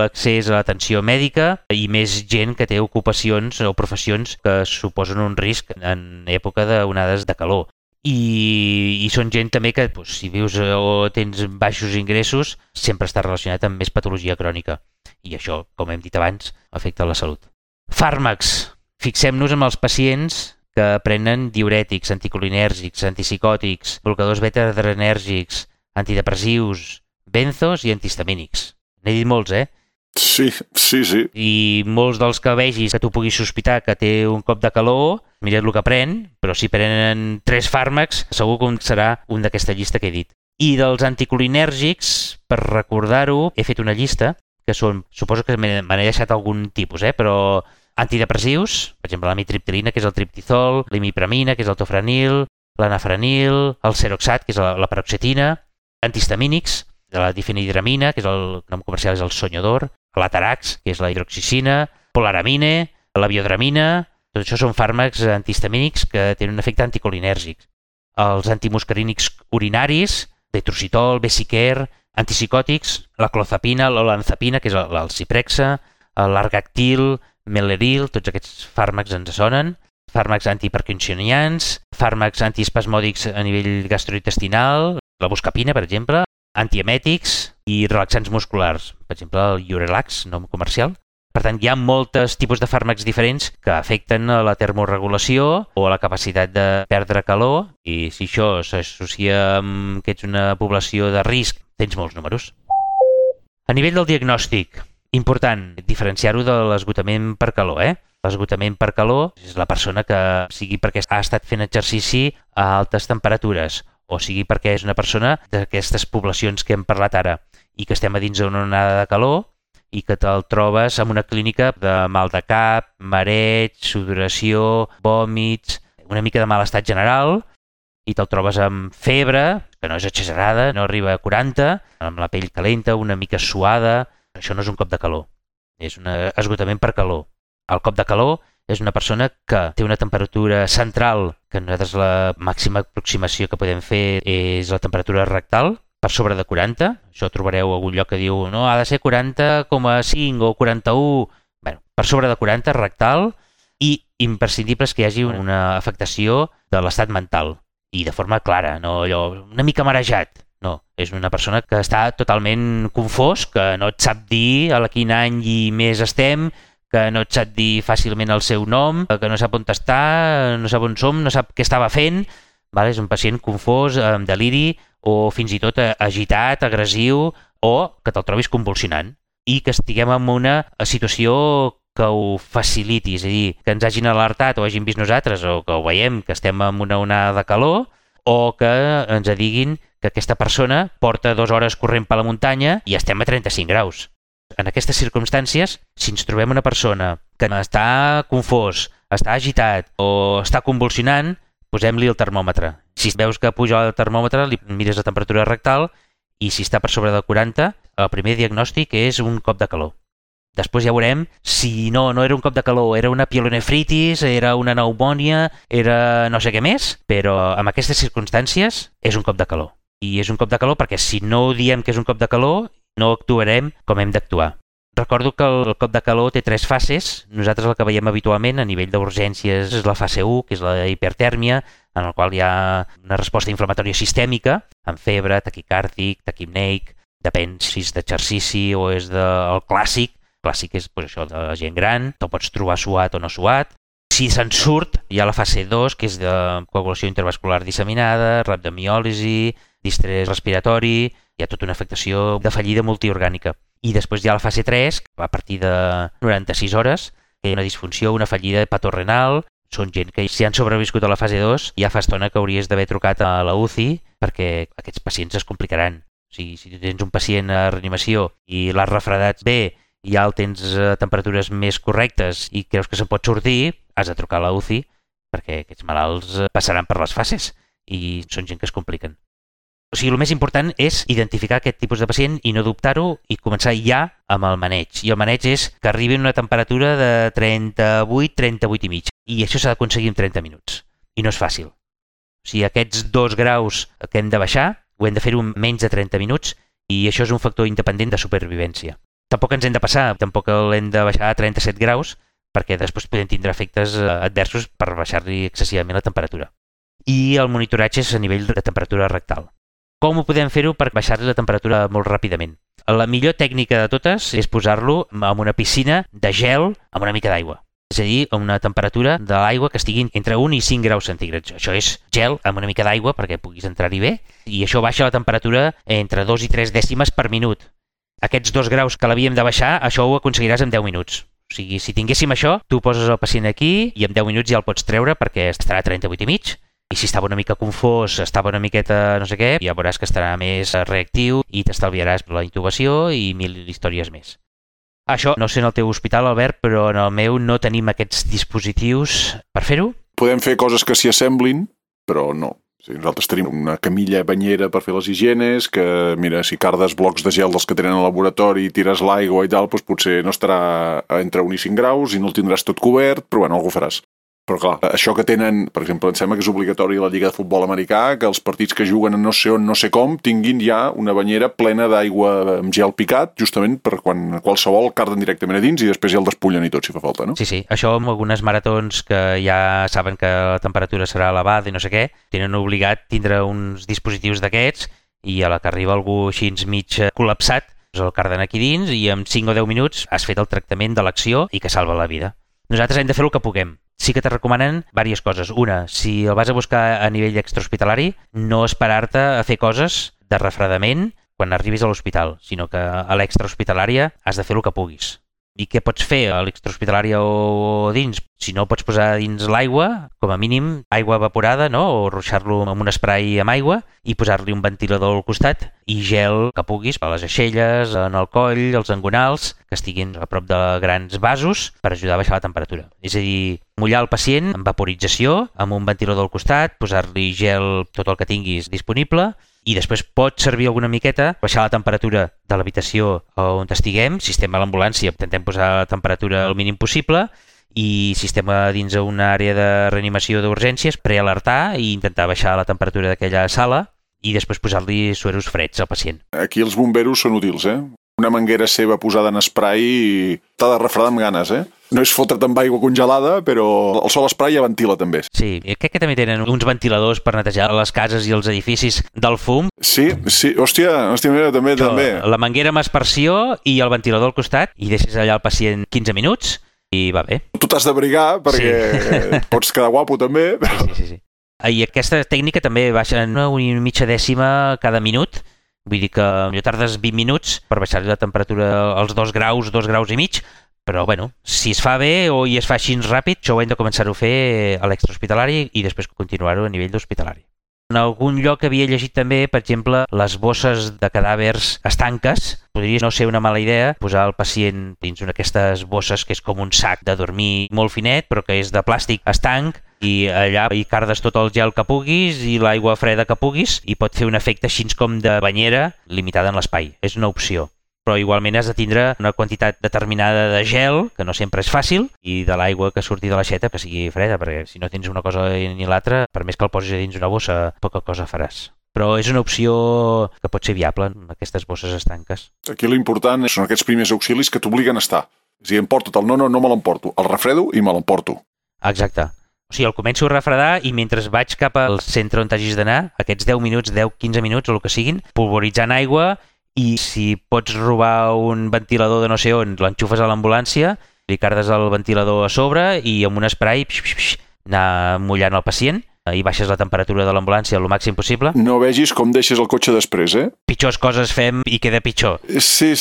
accés a l'atenció mèdica i més gent que té ocupacions o professions que suposen un risc en època d'onades de calor. I són gent també que, si vius o tens baixos ingressos, sempre està relacionat amb més patologia crònica. I això, com hem dit abans, afecta la salut. Fàrmacs. Fixem-nos en els pacients que prenen diürètics, anticolinèrgics, antipsicòtics, blocadors beta-adrenèrgics, antidepressius, benzos i antihistamínics. N'he dit molts, Sí. I molts dels que vegis que tu puguis sospitar que té un cop de calor, mira't el que pren, però si prenen 3 fàrmacs, segur que serà un d'aquesta llista que he dit. I dels anticolinèrgics, per recordar-ho, he fet una llista, que són, suposo que me n'he deixat algun tipus, però antidepressius, per exemple, l'amitriptilina, que és el triptizol, l'imipramina, que és el tofranil, l'anafranil, el seroxat, que és la paroxetina, antihistamínics, de la difenhidramina, que és el nom comercial és el Sonyodor, l'Atarax, que és la hidroxicina, polaramine, la biodramina, tot això són fàrmacs antihistamínics que tenen un efecte anticolinèrgic. Els antimuscarínics urinaris, betrocitol, besiquer, antipsicòtics, la clozapina, l'olanzapina, que és el ciprexa, l'argactil, meleril, tots aquests fàrmacs ens sonen, fàrmacs antiparkinsonians, fàrmacs antiespasmòdics a nivell gastrointestinal, la buscapina, per exemple, antiemètics i relaxants musculars, per exemple el Urelax, nom comercial. Per tant, hi ha molts tipus de fàrmacs diferents que afecten a la termorregulació o a la capacitat de perdre calor, i si això s'associa amb que ets una població de risc, tens molts números. A nivell del diagnòstic, important diferenciar-ho de l'esgotament per calor. L'esgotament per calor és la persona que, sigui perquè ha estat fent exercici a altes temperatures, o sigui perquè és una persona d'aquestes poblacions que hem parlat ara i que estem a dins d'una onada de calor i que te'l trobes en una clínica de mal de cap, mareig, sudoració, vòmits, una mica de mal estat general, i te'l trobes amb febre, que no és exagerada, no arriba a 40, amb la pell calenta, una mica suada. Això no és un cop de calor, és un esgotament per calor. El cop de calor és una persona que té una temperatura central, que nosaltres la màxima aproximació que podem fer és la temperatura rectal, per sobre de 40. Això trobareu a algun lloc que diu no, ha de ser 40,5 o 41. Bé, per sobre de 40 rectal, i imprescindible és que hi hagi una afectació de l'estat mental, i de forma clara, no allò una mica marejat. No, és una persona que està totalment confós, que no et sap dir a quin any i mes estem, que no et sap dir fàcilment el seu nom, que no sap on està, no sap on som, no sap què estava fent. És un pacient confós, amb deliri, o fins i tot agitat, agressiu, o que te'l trobis convulsionant. I que estiguem en una situació que ho faciliti, és a dir, que ens hagin alertat o hagin vist nosaltres, o que ho veiem, que estem en una onada de calor, o que ens diguin que aquesta persona porta 2 hores corrent per la muntanya i estem a 35 graus. En aquestes circumstàncies, si ens trobem una persona que està confós, està agitat o està convulsionant, posem-li el termòmetre. Si veus que puja el termòmetre, li mires la temperatura rectal i si està per sobre de 40, el primer diagnòstic és un cop de calor. Després ja veurem si no era un cop de calor, era una pielonefritis, era una pneumònia, era no sé què més, però en aquestes circumstàncies és un cop de calor. I és un cop de calor perquè si no diem que és un cop de calor, no actuarem com hem d'actuar. Recordo que el cop de calor té 3 fases. Nosaltres el que veiem habitualment a nivell d'urgències és la fase 1, que és la hipertèrmia, en la qual hi ha una resposta inflamatòria sistèmica, amb febre, taquicàrdic, taquipneic, depèn si és d'exercici o és del clàssic. Clàssic és això de la gent gran, te'l pots trobar suat o no suat. Si se'n surt, hi ha la fase 2, que és de coagulació intervascular disseminada, rhabdomiòlisi, distrès respiratori, hi ha tota una afectació de fallida multiorgànica. I després hi ha la fase 3, a partir de 96 hores, que hi ha una disfunció, una fallida hepatorenal. Són gent que si han sobreviscut a la fase 2, ja fa estona que hauries d'haver trucat a la UCI perquè aquests pacients es complicaran. O sigui, si tu tens un pacient a reanimació i l'has refredat bé i ja el tens a temperatures més correctes i creus que se'n pot sortir, has de trucar a la UCI perquè aquests malalts passaran per les fases i són gent que es compliquen. O sigui, el més important és identificar aquest tipus de pacient i no dubtar-ho i començar ja amb el maneig. I el maneig és que arribi a una temperatura de 38 i mig. I això s'ha d'aconseguir en 30 minuts. I no és fàcil. O sigui, aquests 2 graus que hem de baixar, ho hem de fer-ho en menys de 30 minuts i això és un factor independent de supervivència. Tampoc ens hem de passar, tampoc l'hem de baixar a 37 graus, perquè després podem tindre efectes adversos per baixar-li excessivament la temperatura. I el monitoratge és a nivell de temperatura rectal. Com ho podem fer-ho per baixar-li la temperatura molt ràpidament? La millor tècnica de totes és posar-lo en una piscina de gel amb una mica d'aigua. És a dir, a una temperatura de l'aigua que estigui entre 1 i 5 graus centígrads. Això és gel amb una mica d'aigua perquè puguis entrar-hi bé, i això baixa la temperatura entre 2 i 3 dècimes per minut. Aquests 2 graus que l'havíem de baixar, això ho aconseguiràs en 10 minuts. O sigui, si tinguéssim això, tu poses el pacient aquí i en 10 minuts ja el pots treure perquè estarà a 38,5. I si estava una mica confós, estava una miqueta no sé què, ja veuràs que estarà més reactiu i t'estalviaràs la intubació i 1000 històries més. Això no sé en el teu hospital, Albert, però en el meu no tenim aquests dispositius per fer-ho. Podem fer coses que s'hi assemblin, però no. O sigui, nosaltres tenim una camilla banyera per fer les higienes, que, mira, si cardes blocs de gel dels que tenen al laboratori i tires l'aigua i tal, doncs potser no estarà entre 1 i 5 graus i no el tindràs tot cobert, però bueno, algú faràs. Però clar, això que tenen, per exemple, em sembla que és obligatori a la Lliga de Futbol Americà, que els partits que juguen a no sé on, no sé com, tinguin ja una banyera plena d'aigua amb gel picat, justament per quan qualsevol carden directament a dins i després ja el despullen i tot, si fa falta, no? Sí, sí. Això amb algunes maratons que ja saben que la temperatura serà elevada i no sé què, tenen obligat tindre uns dispositius d'aquests i a la que arriba algú així mig col·lapsat, el carden aquí dins i en 5 o 10 minuts has fet el tractament de l'acció i que salva la vida. Nosaltres hem de fer el que puguem. Sí que te recomanen diverses coses. Una, si el vas a buscar a nivell extrahospitalari, no esperar-te a fer coses de refredament quan arribis a l'hospital, sinó que a l'extrahospitalària has de fer el que puguis. I què pots fer a l'extrahospitalària o dins? Si no, pots posar dins l'aigua, com a mínim, aigua evaporada, no? O ruixar-lo amb un spray amb aigua i posar-li un ventilador al costat i gel que puguis a les aixelles, en el coll, els engonals, que estiguin a prop de grans vasos per ajudar a baixar la temperatura. És a dir, mullar el pacient amb vaporització, amb un ventilador al costat, posar-li gel tot el que tinguis disponible, i després pot servir alguna miqueta, baixar la temperatura de l'habitació on estiguem. Si estem a l'ambulància, intentem posar la temperatura al mínim possible, i si estem dins una àrea de reanimació d'urgències, prealertar i intentar baixar la temperatura d'aquella sala i després posar-li sueros freds al pacient. Aquí els bomberos són útils, Una manguera seva posada en spray i t'ha de refredar amb ganes, No és fotre't amb aigua congelada, però el sol spray ja ventila també. Sí, crec que també tenen uns ventiladors per netejar les cases i els edificis del fum. Sí, hòstia, mira, també. La manguera amb aspersió i el ventilador al costat i deixes allà el pacient 15 minuts i va bé. Tu t'has d'abrigar perquè pots quedar guapo també. Sí. I aquesta tècnica també baixa en 1,5 dècima cada minut. Vull dir que potser tardes 20 minuts per baixar-li la temperatura als 2 graus, 2 graus i mig, però bueno, si es fa bé o es fa així ràpid, això ho hem de començar a fer a l'extrahospitalari i després continuar-ho a nivell d'hospitalari. En algun lloc havia llegit també, per exemple, les bosses de cadàvers estanques. Podria no ser una mala idea posar el pacient dins una d'aquestes bosses que és com un sac de dormir molt finet, però que és de plàstic estanc, i allà hi cardes tot el gel que puguis i l'aigua freda que puguis i pot fer un efecte així com de banyera limitada en l'espai. És una opció. Però igualment has de tindre una quantitat determinada de gel, que no sempre és fàcil, i de l'aigua que surti de l'aixeta que sigui freda, perquè si no tens una cosa ni l'altra, per més que el posis dins una bossa, poca cosa faràs. Però és una opció que pot ser viable en aquestes bosses estanques. Aquí l'important són aquests primers auxilis que t'obliguen a estar. És a dir, emporta't el no me l'emporto, el refredo i me l'emporto. Exacte. O sigui, el començo a refredar i mentre vaig cap al centre on t'hagis d'anar, aquests 10 minuts, 10-15 minuts o el que siguin, pulveritzant aigua, i si pots robar un ventilador de no sé on, l'enxufes a l'ambulància, li cardes el ventilador a sobre i amb un spray anar mullant el pacient i baixes la temperatura de l'ambulància el màxim possible. No vegis com deixes el cotxe després, Pitjors coses fem i queda pitjor. Sí.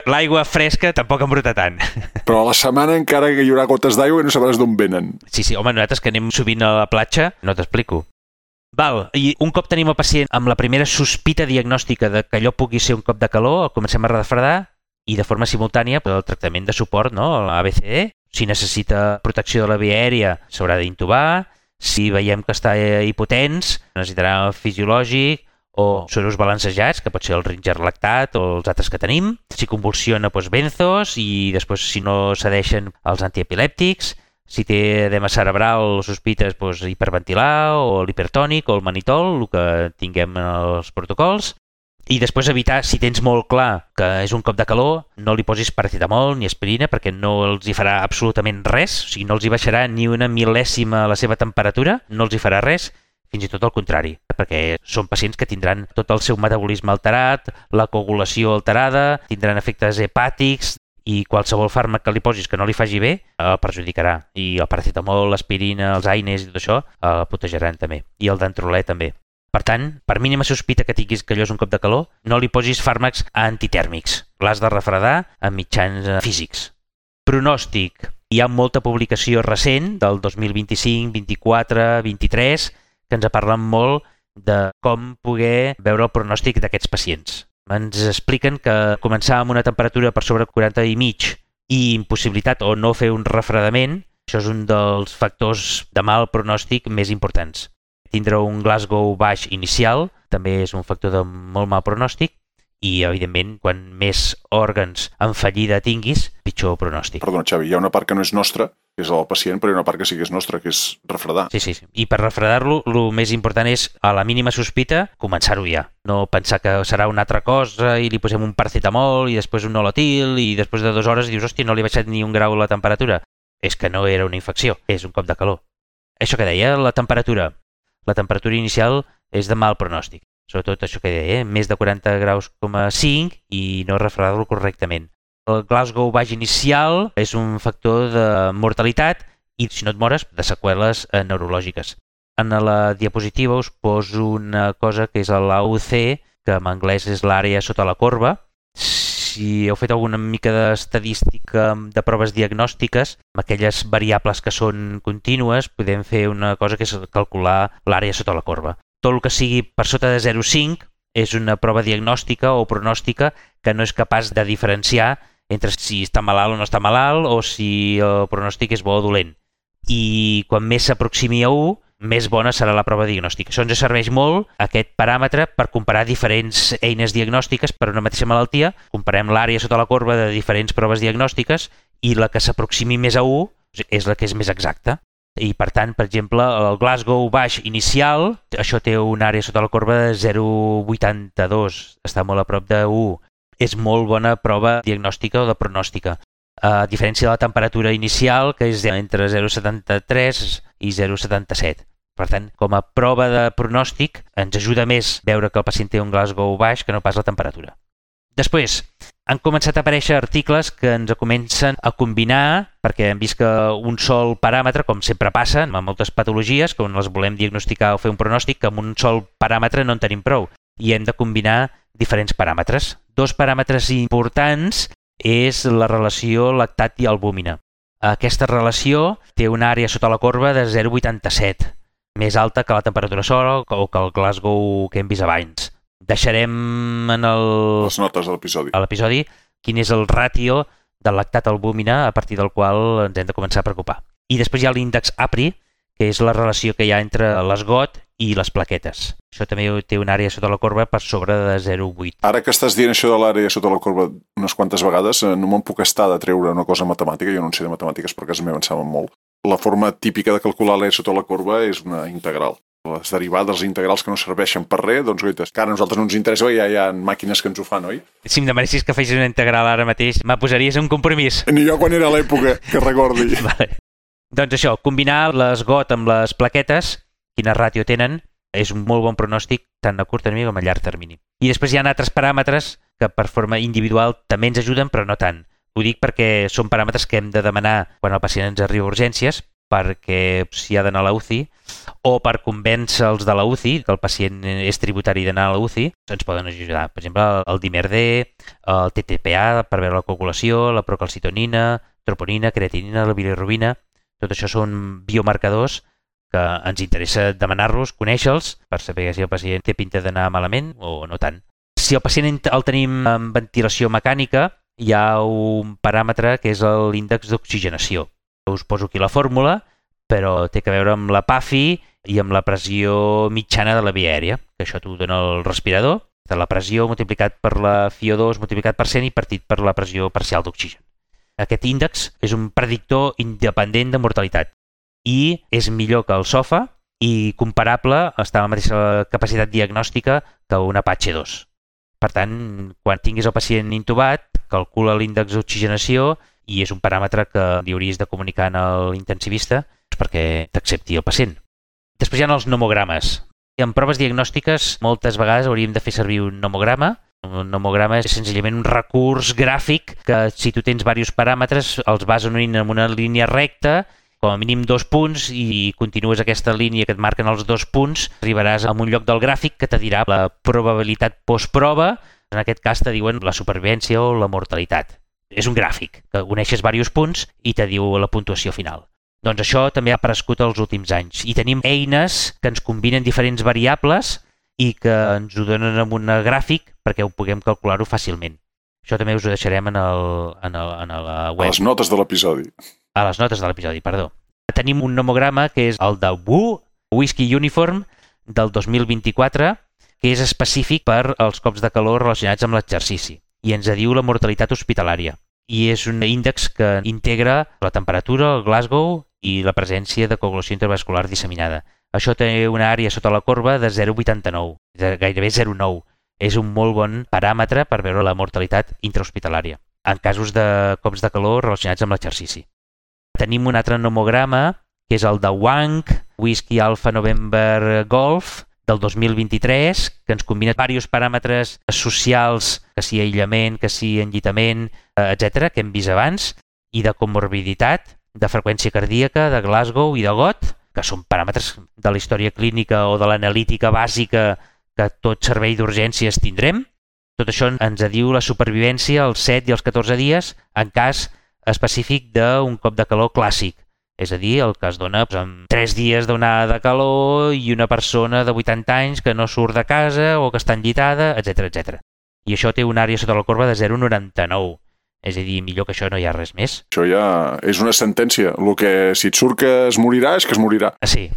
L'aigua fresca tampoc embruta tant. Però a la setmana encara que hi haurà gotes d'aigua i no sabràs d'on venen. Sí, home, nosaltres que anem sovint a la platja, no t'explico. Val, i un cop tenim el pacient amb la primera sospita diagnòstica de que allò pugui ser un cop de calor, el comencem a refredar i de forma simultània el tractament de suport, no? l'ABCD. Si necessita protecció de la via aèria, s'haurà d'intubar. Si veiem que està hipotens, necessitarà fisiològic o sueros balancejats, que pot ser el Ringer lactat o els altres que tenim. Si convulsiona, doncs benzos, i després, si no cedeixen, els antiepilèptics. Si té edema cerebral o sospites, doncs hiperventilar o l'hipertònic o el manitol, el que tinguem en els protocols. I després evitar, si tens molt clar que és un cop de calor, no li posis paracetamol ni aspirina perquè no els hi farà absolutament res, o sigui, no els hi baixarà ni una mil·lèsima la seva temperatura, no els hi farà res, fins i tot al contrari, perquè són pacients que tindran tot el seu metabolisme alterat, la coagulació alterada, tindran efectes hepàtics i qualsevol fàrmac que li posis que no li faci bé el perjudicarà. I el paracetamol, l'aspirina, els AINES i tot això el protegiran també. I el Dantrolè també. Per tant, per mínima sospita que tinguis que allò és un cop de calor, no li posis fàrmacs antitèrmics. L'has de refredar amb mitjans físics. Pronòstic. Hi ha molta publicació recent del 2025, 24, 23 que ens parlen molt de com poder veure el pronòstic d'aquests pacients. Ens expliquen que començar amb una temperatura per sobre 40 i mig i impossibilitat o no fer un refredament, això és un dels factors de mal pronòstic més importants. Tindre un Glasgow baix inicial també és un factor de molt mal pronòstic i, evidentment, quan més òrgans en fallida tinguis, pitjor pronòstic. Perdona, Xavi, hi ha una part que no és nostra, que és el pacient, però hi ha una part que sí que és nostra, que és refredar. Sí. I per refredar-lo, el més important és, a la mínima sospita, començar-ho ja. No pensar que serà una altra cosa i li posem un paracetamol i després un nolotil i després de 2 hores dius, hòstia, no li he baixat ni un grau la temperatura. És que no era una infecció, és un cop de calor. Això que deia, la temperatura. La temperatura inicial és de mal pronòstic. Sobretot això que deia, més de 40 graus, 5 i no refredar-lo correctament. El Glasgow baix inicial és un factor de mortalitat i, si no et mores, de seqüeles neurològiques. En la diapositiva us poso una cosa que és l'AUC, que en anglès és l'àrea sota la corba. Si heu fet alguna mica d'estadística de proves diagnòstiques, amb aquelles variables que són contínues, podem fer una cosa que és calcular l'àrea sota la corba. Tot el que sigui per sota de 0,5 és una prova diagnòstica o pronòstica que no és capaç de diferenciar entre si està malalt o no està malalt o si el pronòstic és bo o dolent. I quan més s'aproximi a 1, més bona serà la prova diagnòstica. Això ens serveix molt, aquest paràmetre, per comparar diferents eines diagnòstiques per una mateixa malaltia. Comparem l'àrea sota la corba de diferents proves diagnòstiques i la que s'aproximi més a 1 és la que és més exacta. I, per tant, per exemple, el Glasgow baix inicial, això té una àrea sota la corba de 0,82, està molt a prop de 1. És molt bona prova diagnòstica o de pronòstica. A diferència de la temperatura inicial, que és entre 0,73 i 0,77. Per tant, com a prova de pronòstic, ens ajuda més veure que el pacient té un Glasgow baix que no pas la temperatura. Després, han començat a aparèixer articles que ens comencen a combinar, perquè hem vist que un sol paràmetre, com sempre passa amb moltes patologies, quan les volem diagnosticar o fer un pronòstic, que amb un sol paràmetre no en tenim prou. I hem de combinar diferents paràmetres. 2 paràmetres importants és la relació lactat i albúmina. Aquesta relació té una àrea sota la corba de 0,87, més alta que la temperatura sola o que el Glasgow que hem vist abans. Deixarem en les notes de l'episodi. A l'episodi quin és el ràtio del lactat albúmina a partir del qual ens hem de començar a preocupar. I després hi ha l'índex APRI, que és la relació que hi ha entre l'esgot i les plaquetes. Això també té una àrea sota la corba per sobre de 0,8. Ara que estàs dient això de l'àrea sota la corba unes quantes vegades, no me'n puc estar de treure una cosa matemàtica, jo no en sé de matemàtiques perquè a casa meva en saben molt. La forma típica de calcular l'àrea sota la corba és una integral. Les derivades integrals que no serveixen per res, doncs goites, que ara a nosaltres no ens interessa, ja hi ha màquines que ens ho fan, oi? Si em demanessis que fessis una integral ara mateix, me posaries un compromís. Ni jo quan era l'època, que recordi. Vale. Doncs això, combinar l'esgot amb les plaquetes, quina ràtio tenen, és un molt bon pronòstic tant a curt termini com a llarg termini. I després hi ha altres paràmetres que per forma individual també ens ajuden, però no tant. Ho dic perquè són paràmetres que hem de demanar quan el pacient ens arriba a urgències, perquè si ha d'anar a la UCI, o per convèncer els de la UCI, que el pacient és tributari d'anar a la UCI, ens poden ajudar. Per exemple, el dimer-D, el TTPA per veure la coagulació, la procalcitonina, troponina, creatinina, la bilirrubina. Tot això són biomarcadors que ens interessa demanar-los, conèixer-los, per saber si el pacient té pinta d'anar malament o no tant. Si el pacient el tenim en ventilació mecànica, hi ha un paràmetre que és l'índex d'oxigenació. Us poso aquí la fórmula, però té a veure amb la PAFI i amb la pressió mitjana de la via aèria, que això t'ho dona el respirador, la pressió multiplicat per la FiO2 multiplicat per 100 i partit per la pressió parcial d'oxigen. Aquest índex és un predictor independent de mortalitat i és millor que el SOFA i comparable, està a la mateixa capacitat diagnòstica que un Apache 2. Per tant, quan tinguis el pacient intubat, calcula l'índex d'oxigenació i és un paràmetre que li hauries de comunicar a l'intensivista perquè t'accepti el pacient. Després hi ha els nomogrames. En proves diagnòstiques moltes vegades hauríem de fer servir un nomograma. Un nomograma és senzillament un recurs gràfic que si tu tens diversos paràmetres els vas unint en una línia recta, com a mínim 2 punts, i continues aquesta línia que et marquen els 2 punts, arribaràs a un lloc del gràfic que te dirà la probabilitat postprova. En aquest cas te diuen la supervivència o la mortalitat. És un gràfic que uneixes diversos punts i te diu la puntuació final. Doncs això també ha aparegut els últims anys. I tenim eines que ens combinen diferents variables i que ens ho donen en un gràfic perquè ho puguem calcular-ho fàcilment. Això també us ho deixarem en la web. A les notes de l'episodi. A les notes de l'episodi, perdó. Tenim un nomograma que és el de WU, Whisky Uniform, del 2024, que és específic per als cops de calor relacionats amb l'exercici i ens diu la mortalitat hospitalària. I és un índex que integra la temperatura, el Glasgow i la presència de coagulació intravascular disseminada. Això té una àrea sota la corba de 0,89, gairebé 0,9. És un molt bon paràmetre per veure la mortalitat intrahospitalària en casos de cops de calor relacionats amb l'exercici. Tenim un altre nomograma, que és el de Wang, Whisky Alpha November Golf, del 2023, que ens combina diversos paràmetres socials, que sigui aïllament, que sigui enllitament, etc., que hem vist abans, i de comorbiditat, de freqüència cardíaca, de Glasgow i de GOT, que són paràmetres de la història clínica o de l'analítica bàsica que tot servei d'urgències tindrem. Tot això ens diu la supervivència als 7 i als 14 dies en cas específic d'un cop de calor clàssic. És a dir, el que es dona amb 3 dies d'onada de calor i una persona de 80 anys que no surt de casa o que està enllitada, etc etc. I això té una àrea sota la corba de 0,99. És a dir, millor que això no hi ha res més. Això ja és una sentència. El que si et surt que es morirà, és que es morirà. Sí.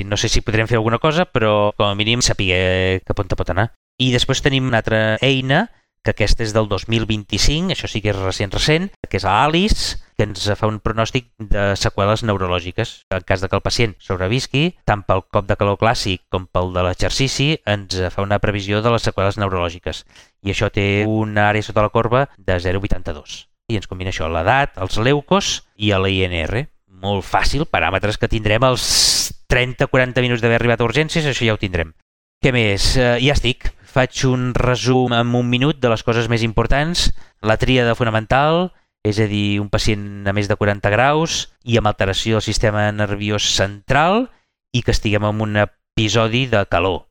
No sé si podrem fer alguna cosa, però com a mínim saber cap on te pot anar. I després tenim una altra eina, que aquesta és del 2025, això sí que és recent, que és l'ALICE, que ens fa un pronòstic de seqüeles neurològiques. En cas de que el pacient sobrevisqui, tant pel cop de calor clàssic com pel de l'exercici, ens fa una previsió de les seqüeles neurològiques. I això té una àrea sota la corba de 0,82. I ens combina això, l'edat, els leucos i l'INR. Molt fàcil, paràmetres que tindrem als 30-40 minuts d'haver arribat a urgències, això ja ho tindrem. Què més? Ja estic. Faig un resum en 1 minut de les coses més importants. La tríada fonamental, és a dir, un pacient a més de 40 graus i amb alteració del sistema nerviós central i que estiguem en un episodi de calor.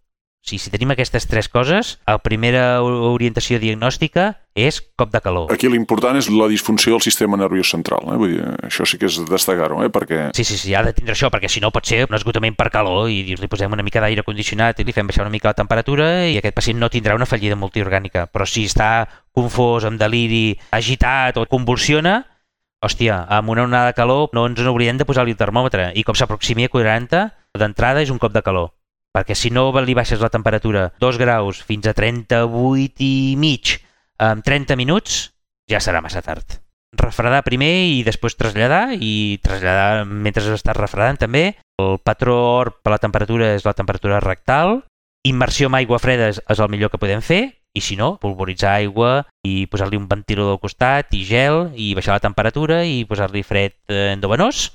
O sigui, si tenim aquestes 3 coses, la primera orientació diagnòstica és cop de calor. Aquí l'important és la disfunció del sistema nerviós central. Vull dir, això sí que és destacar-ho, perquè... Sí, ha de tindre això, perquè si no pot ser un esgotament per calor i li posem una mica d'aire condicionat i li fem baixar una mica la temperatura i aquest pacient no tindrà una fallida multiorgànica. Però si està confós, amb deliri, agitat o convulsiona, hòstia, amb una onada de calor no ens n'oblidem de posar-li el termòmetre i com s'aproximi a 40, d'entrada és un cop de calor. Perquè si no li baixes la temperatura 2 graus fins a 38 i mig en 30 minuts, ja serà massa tard. Refredar primer i després traslladar, i traslladar mentre estàs refredant també. El patró ORP per la temperatura és la temperatura rectal. Immersió amb aigua freda és el millor que podem fer, i si no, polvoritzar aigua i posar-li un ventilador al costat i gel i baixar la temperatura i posar-li fred endovenós.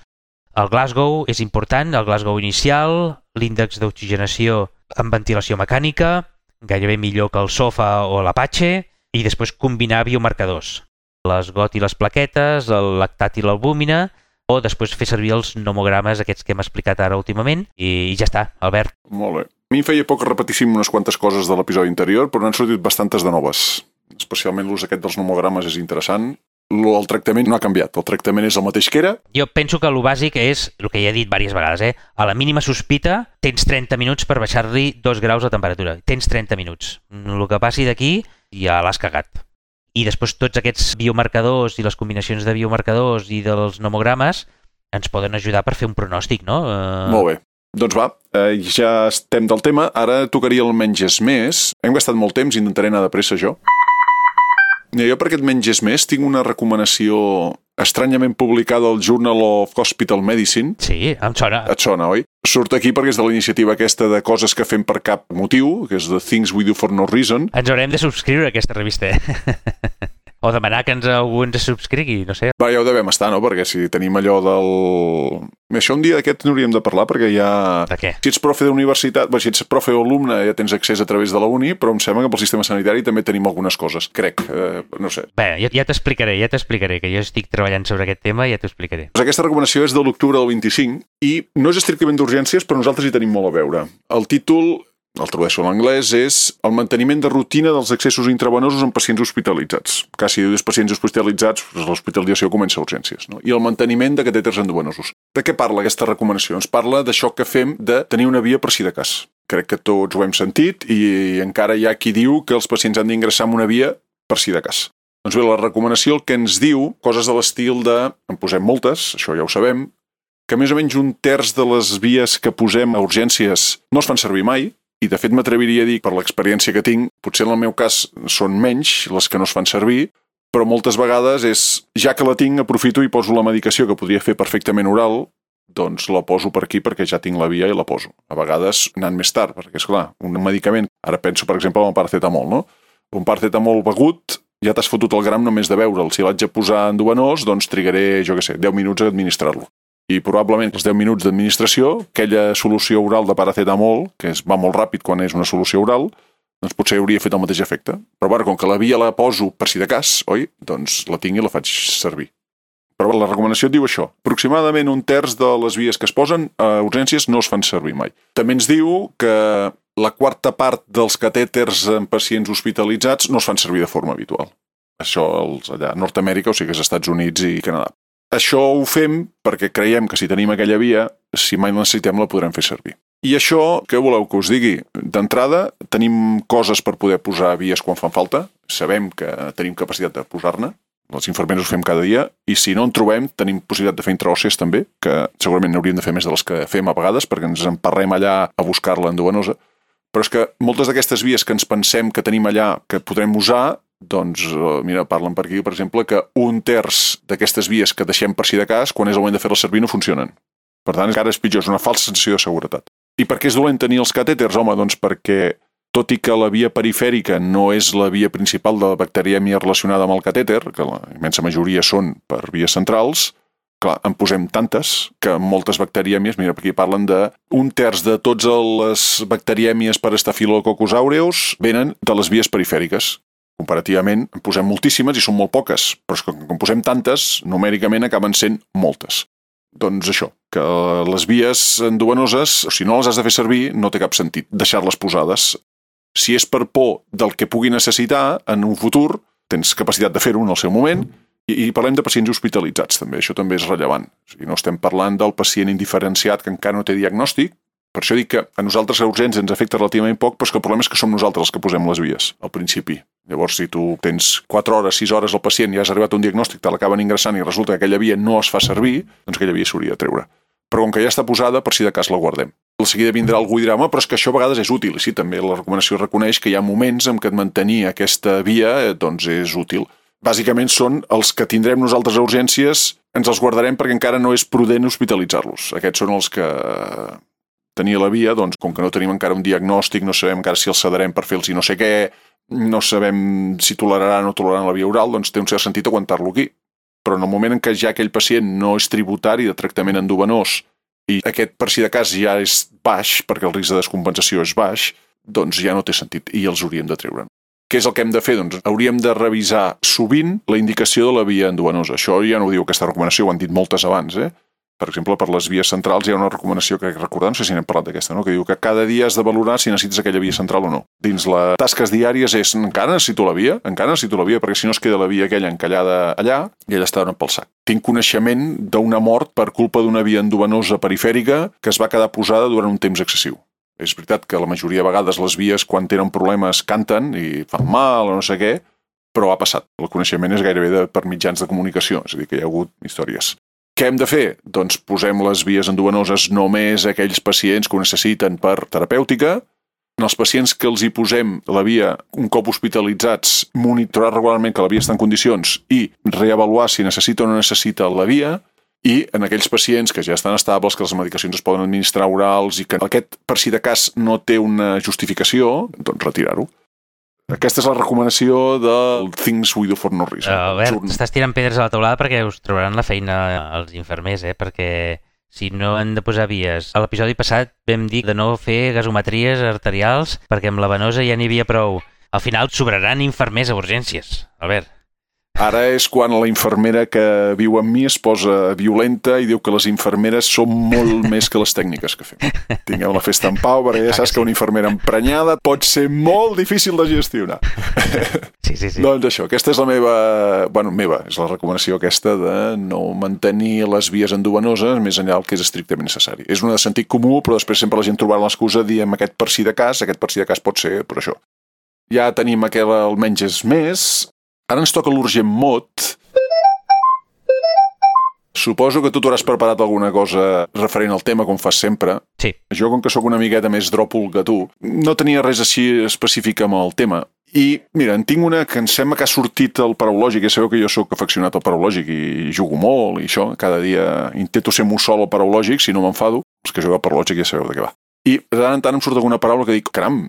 El Glasgow és important, el Glasgow inicial, l'índex d'oxigenació amb ventilació mecànica, gairebé millor que el SOFA o l'Apache, i després combinar biomarcadors, les GOT i les plaquetes, el lactat i l'albúmina, o després fer servir els nomogrames aquests que hem explicat ara últimament, i ja està, Albert. Molt bé. A mi em feia poc repetir unes quantes coses de l'episodi anterior, però n'han sortit bastantes de noves. Especialment l'ús aquest dels nomogrames és interessant. El tractament no ha canviat, el tractament és el mateix que era. Jo penso que el bàsic és, el que ja he dit diverses vegades, a la mínima sospita tens 30 minuts per baixar-li 2 graus de temperatura. Tens 30 minuts. El que passi d'aquí ja l'has cagat. I després tots aquests biomarcadors i les combinacions de biomarcadors i dels nomogrames ens poden ajudar per fer un pronòstic, no? Molt bé. Doncs va, ja estem del tema. Ara tocaria el menys és més. Hem gastat molt temps, intentaré anar de pressa jo. Jo per aquest menys és més tinc una recomanació estranyament publicada al Journal of Hospital Medicine. Sí, em sona. Et sona, oi? Surt aquí perquè és de la iniciativa aquesta de coses que fem per cap motiu, que és The Things We Do For No Reason. Ens haurem de subscriure a aquesta revista. O demanar que algú ens subscrigui, no sé. Va, ja ho devem estar, no? Perquè si tenim allò del... Això un dia d'aquest n'hauríem de parlar, perquè ja... De què? Si ets profe d'universitat, si ets profe o alumne ja tens accés a través de la uni, però em sembla que pel sistema sanitari també tenim algunes coses, crec, no sé. Bé, ja t'explicaré, que jo estic treballant sobre aquest tema i ja t'ho explicaré. Doncs aquesta recomanació és de l'octubre del 25 i no és estrictament d'urgències, però nosaltres hi tenim molt a veure. El títol, el tradueixo en anglès, és el manteniment de rutina dels accessos intravenosos en pacients hospitalitzats. Si dius pacients hospitalitzats, l'hospitalització comença a urgències, no? I el manteniment de catèters endovenosos. De què parla aquesta recomanació? Ens parla d'això que fem de tenir una via per si de cas. Crec que tots ho hem sentit i encara hi ha qui diu que els pacients han d'ingressar en una via per si de cas. Doncs bé, la recomanació el que ens diu, coses de l'estil de, en posem moltes, això ja ho sabem, que més o menys un terç de les vies que posem a urgències no es fan servir mai, i de fet m'atreviria a dir, per l'experiència que tinc, potser en el meu cas són menys les que no es fan servir, però moltes vegades és, ja que la tinc, aprofito i poso la medicació que podria fer perfectament oral, doncs la poso per aquí perquè ja tinc la via i la poso. A vegades anant més tard, perquè és clar, un medicament, ara penso per exemple en el paracetamol, no? Un paracetamol begut, ja t'has fotut el gram només de veure'l. Si l'haig de posar endovenós, doncs trigaré, 10 minuts a administrar-lo. I probablement els 10 minuts d'administració, aquella solució oral de paracetamol, que va molt ràpid quan és una solució oral, doncs potser hauria fet el mateix efecte. Però bueno, com que la via la poso per si de cas, oi? Doncs la tinc i la faig servir. Però la recomanació et diu això. Aproximadament un terç de les vies que es posen a urgències no es fan servir mai. També ens diu que la quarta part dels catèters en pacients hospitalitzats no es fan servir de forma habitual. Això allà a Nord-Amèrica, o sigui que és Estats Units i Canadà. Això ho fem perquè creiem que si tenim aquella via, si mai la necessitem la podrem fer servir. I això, què voleu que us digui? D'entrada, tenim coses per poder posar vies quan fan falta, sabem que tenim capacitat de posar-ne, els infermers ho fem cada dia, i si no en trobem, tenim possibilitat de fer intraòssees també, que segurament n'hauríem de fer més de les que fem a vegades, perquè ens emparrem allà a buscar-la endovenosa, però és que moltes d'aquestes vies que ens pensem que tenim allà que podrem usar, doncs, mira, parlen per aquí, per exemple, que un terç d'aquestes vies que deixem per si de cas, quan és el moment de fer-les servir, no funcionen. Per tant, encara és pitjor, és una falsa sensació de seguretat. I per què és dolent tenir els catèters? Home, doncs perquè, tot i que la via perifèrica no és la via principal de la bacterièmia relacionada amb el catèter, que la immensa majoria són per vies centrals, clar, en posem tantes que moltes bacterièmies, mira, aquí parlen de un terç de totes les bacterièmies per Staphylococcus aureus venen de les vies perifèriques. Comparativament, en posem moltíssimes i són molt poques, però és que quan posem tantes, numèricament acaben sent moltes. Doncs això, que les vies endovenoses, si no les has de fer servir, no té cap sentit deixar-les posades. Si és per por del que pugui necessitar en un futur, tens capacitat de fer-ho en el seu moment, i parlem de pacients hospitalitzats també, això també és rellevant. O sigui, no estem parlant del pacient indiferenciat que encara no té diagnòstic. Per això dic que a nosaltres a urgències ens afecta relativament poc, però és que el problema és que som nosaltres els que posem les vies, al principi. Llavors, si tu tens 4 hores, 6 hores al pacient i has arribat a un diagnòstic, te l'acaben ingressant i resulta que aquella via no es fa servir, doncs aquella via s'hauria de treure. Però com que ja està posada, per si de cas la guardem. De seguida vindrà algú i dirà, home, però és que això a vegades és útil. I sí, també la recomanació reconeix que hi ha moments en què mantenir aquesta via doncs és útil. Bàsicament són els que tindrem nosaltres a urgències, ens els guardarem perquè encara no és prudent hospitalitzar-los. Aquests són els que tenir la via, doncs, com que no tenim encara un diagnòstic, no sabem encara si els cederem per fer-los i no sé què, no sabem si toleraran o no toleraran la via oral, doncs té un cert sentit aguantar-lo aquí. Però en el moment en què ja aquell pacient no és tributari de tractament endovenós i aquest per si de cas ja és baix, perquè el risc de descompensació és baix, doncs ja no té sentit i els hauríem de treure. Què és el que hem de fer? Doncs hauríem de revisar sovint la indicació de la via endovenosa. Això ja no ho diu aquesta recomanació, ho han dit moltes abans, Per exemple, per les vies centrals hi ha una recomanació que recordar, no sé si n'hem parlat d'aquesta, no? Que diu que cada dia has de valorar si necessites aquella via central o no. Dins les tasques diàries és encara necessito la via, perquè si no es queda la via aquella encallada allà i ella està donant pel sac. Tinc coneixement d'una mort per culpa d'una via endovenosa perifèrica que es va quedar posada durant un temps excessiu. És veritat que la majoria de vegades les vies quan tenen problemes canten i fan mal o no sé què, però ha passat. El coneixement és gairebé per mitjans de comunicació, és a dir, que hi ha hagut històries. Què hem de fer? Doncs posem les vies endovenoses només a aquells pacients que ho necessiten per terapèutica. En els pacients que els hi posem la via un cop hospitalitzats, monitorar regularment que la via està en condicions i reavaluar si necessita o no necessita la via. I en aquells pacients que ja estan estables, que les medicacions es poden administrar orals i que aquest, per si de cas, no té una justificació, doncs retirar-ho. Aquesta és la recomanació del Things We Do for No Reason. Albert, estàs tirant pedres a la teulada perquè us trobaran la feina els infermers, perquè si no han de posar vies. A l'episodi passat vam dir de no fer gasometries arterials perquè amb la venosa ja n'hi havia prou. Al final sobraran infermers a urgències, Albert. Ara és quan la infermera que viu amb mi es posa violenta i diu que les infermeres són molt més que les tècniques que fem. Tingueu la festa en pau, perquè ja saps que una infermera emprenyada pot ser molt difícil de gestionar. Sí. Doncs això, aquesta és la meva... és la recomanació aquesta de no mantenir les vies endovenoses més enllà del que és estrictament necessari. És una de sentit comú, però després sempre la gent trobarà l'excusa de dir aquest per si de cas pot ser per això. Ja tenim aquell almenys és més... Ara ens toca l'urgent mot. Suposo que tu t'hauràs preparat alguna cosa referent al tema, com fas sempre. Sí. Jo, com que sóc una miqueta més dròpol que tu, no tenia res així específic amb el tema. I, mira, en tinc una que em sembla que ha sortit al Paraulògic, ja sabeu que jo sóc afeccionat al Paraulògic i jugo molt i això, cada dia intento ser mussol al Paraulògic, si no m'enfado. Els que jugueu al Paraulògic ja sabeu de què va. I de tant en tant em surt alguna paraula que dic, caram,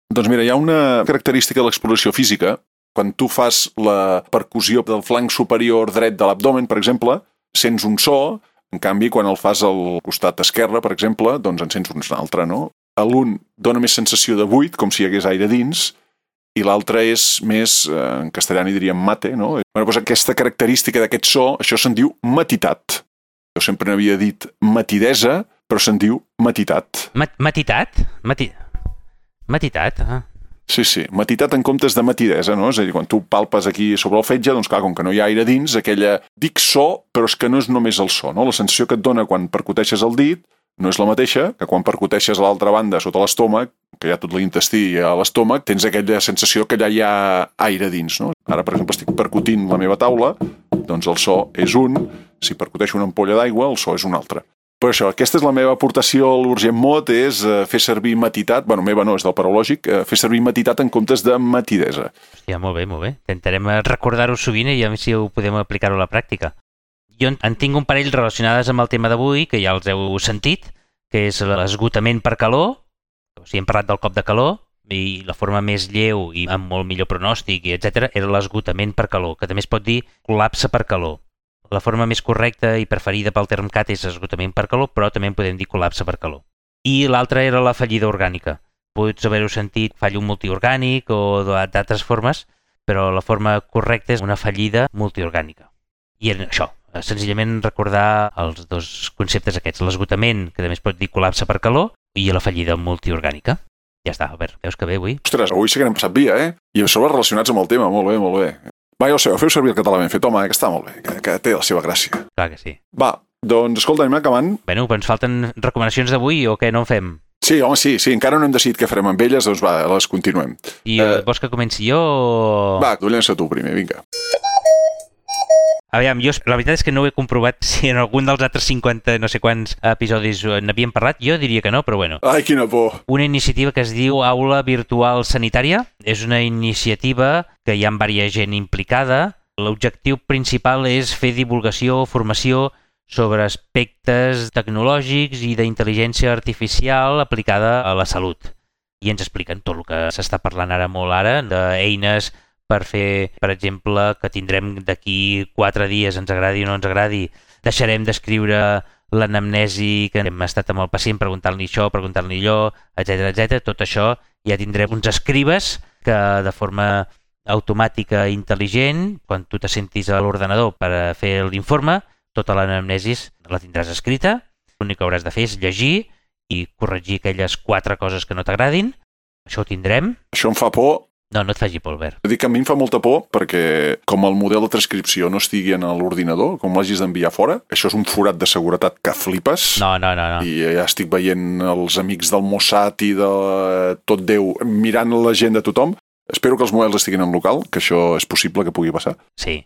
doncs mira, hi ha una característica de l'exploració física. Quan tu fas la percussió del flanc superior dret de l'abdomen, per exemple, sents un so, en canvi, quan el fas al costat esquerre, per exemple, doncs en sents un altre, no? L'un dona més sensació de buit, com si hi hagués aire dins, i l'altre és més, en castellà n'hi diríem mate, no? Doncs aquesta característica d'aquest so, això se'n diu matitat. Jo sempre n'havia dit matidesa, però se'n diu matitat. Matitat? Matitat? Sí, matitat en comptes de matidesa, no? És a dir, quan tu palpes aquí sobre el fetge, doncs clar, com que no hi ha aire dins, aquella... Dic so, però és que no és només el so, no? La sensació que et dona quan percuteixes el dit no és la mateixa que quan percuteixes a l'altra banda sota l'estómac, que hi ha tot l'intestí a l'estómac, tens aquella sensació que allà hi ha aire dins, no? Ara, per exemple, estic percutint la meva taula, doncs el so és un, si percuteixo una ampolla d'aigua, el so és un altre. Per això, aquesta és la meva aportació a l'urgent mot, és fer servir matitat, meva no, és del Paraulògic, fer servir matitat en comptes de matidesa. Hòstia, molt bé. Intentarem recordar-ho sovint i a veure si ho podem aplicar-ho a la pràctica. Jo en tinc un parell relacionades amb el tema d'avui, que ja els heu sentit, que és l'esgotament per calor, o sigui, hem parlat del cop de calor, i la forma més lleu i amb molt millor pronòstic, etc., era l'esgotament per calor, que també es pot dir col·lapse per calor. La forma més correcta i preferida pel Termcat és esgotament per calor, però també en podem dir col·lapse per calor. I l'altra era la fallida orgànica. Pots haver-ho sentit fallo multiorgànic o d'altres formes, però la forma correcta és una fallida multiorgànica. I en això, senzillament recordar els dos conceptes aquests, l'esgotament, que també es pot dir col·lapse per calor, i la fallida multiorgànica. Ja està, Albert, veus que bé avui? Ostres, avui sí que n'hem passat via, I a sobre relacionats amb el tema, molt bé. Va, ja ho sabeu, feu servir el català ben fet, home, que està molt bé, que té la seva gràcia. Clar que sí. Va, doncs, escolta, anem acabant. Bueno, però ens falten recomanacions d'avui o què no en fem? Sí, home, sí, encara no hem decidit què farem amb elles, doncs va, les continuem. I vols que comenci jo o...? Va, tu llença tu primer, vinga. Aviam, jo la veritat és que no ho he comprovat si en algun dels altres 50 no sé quants episodis n'havíem parlat. Jo diria que no, però bueno. Ai, quina por. Una iniciativa que es diu Aula Virtual Sanitària. És una iniciativa que hi ha diversa gent implicada. L'objectiu principal és fer divulgació o formació sobre aspectes tecnològics i d'intel·ligència artificial aplicada a la salut. I ens expliquen tot el que s'està parlant ara, d'eines per fer, per exemple, que tindrem d'aquí 4 dies, ens agradi o no ens agradi, deixarem d'escriure l'anamnesi que hem estat amb el pacient preguntant-li això, preguntant-li allò, etc. Tot això ja tindrem uns escribes que de forma automàtica i intel·ligent, quan tu te sentis a l'ordenador per fer l'informe, tota l'anamnesi la tindràs escrita, l'únic que hauràs de fer és llegir i corregir aquelles 4 coses que no t'agradin. Això ho tindrem. Això em fa por. No et faci por, Albert. Dic que a mi em fa molta por perquè com el model de transcripció no estigui en l'ordinador, com l'hagis d'enviar fora, això és un forat de seguretat que flipes. No. I ja estic veient els amics del Mossad i de tot Déu mirant la gent de tothom. Espero que els models estiguin en local, que això és possible que pugui passar. Sí.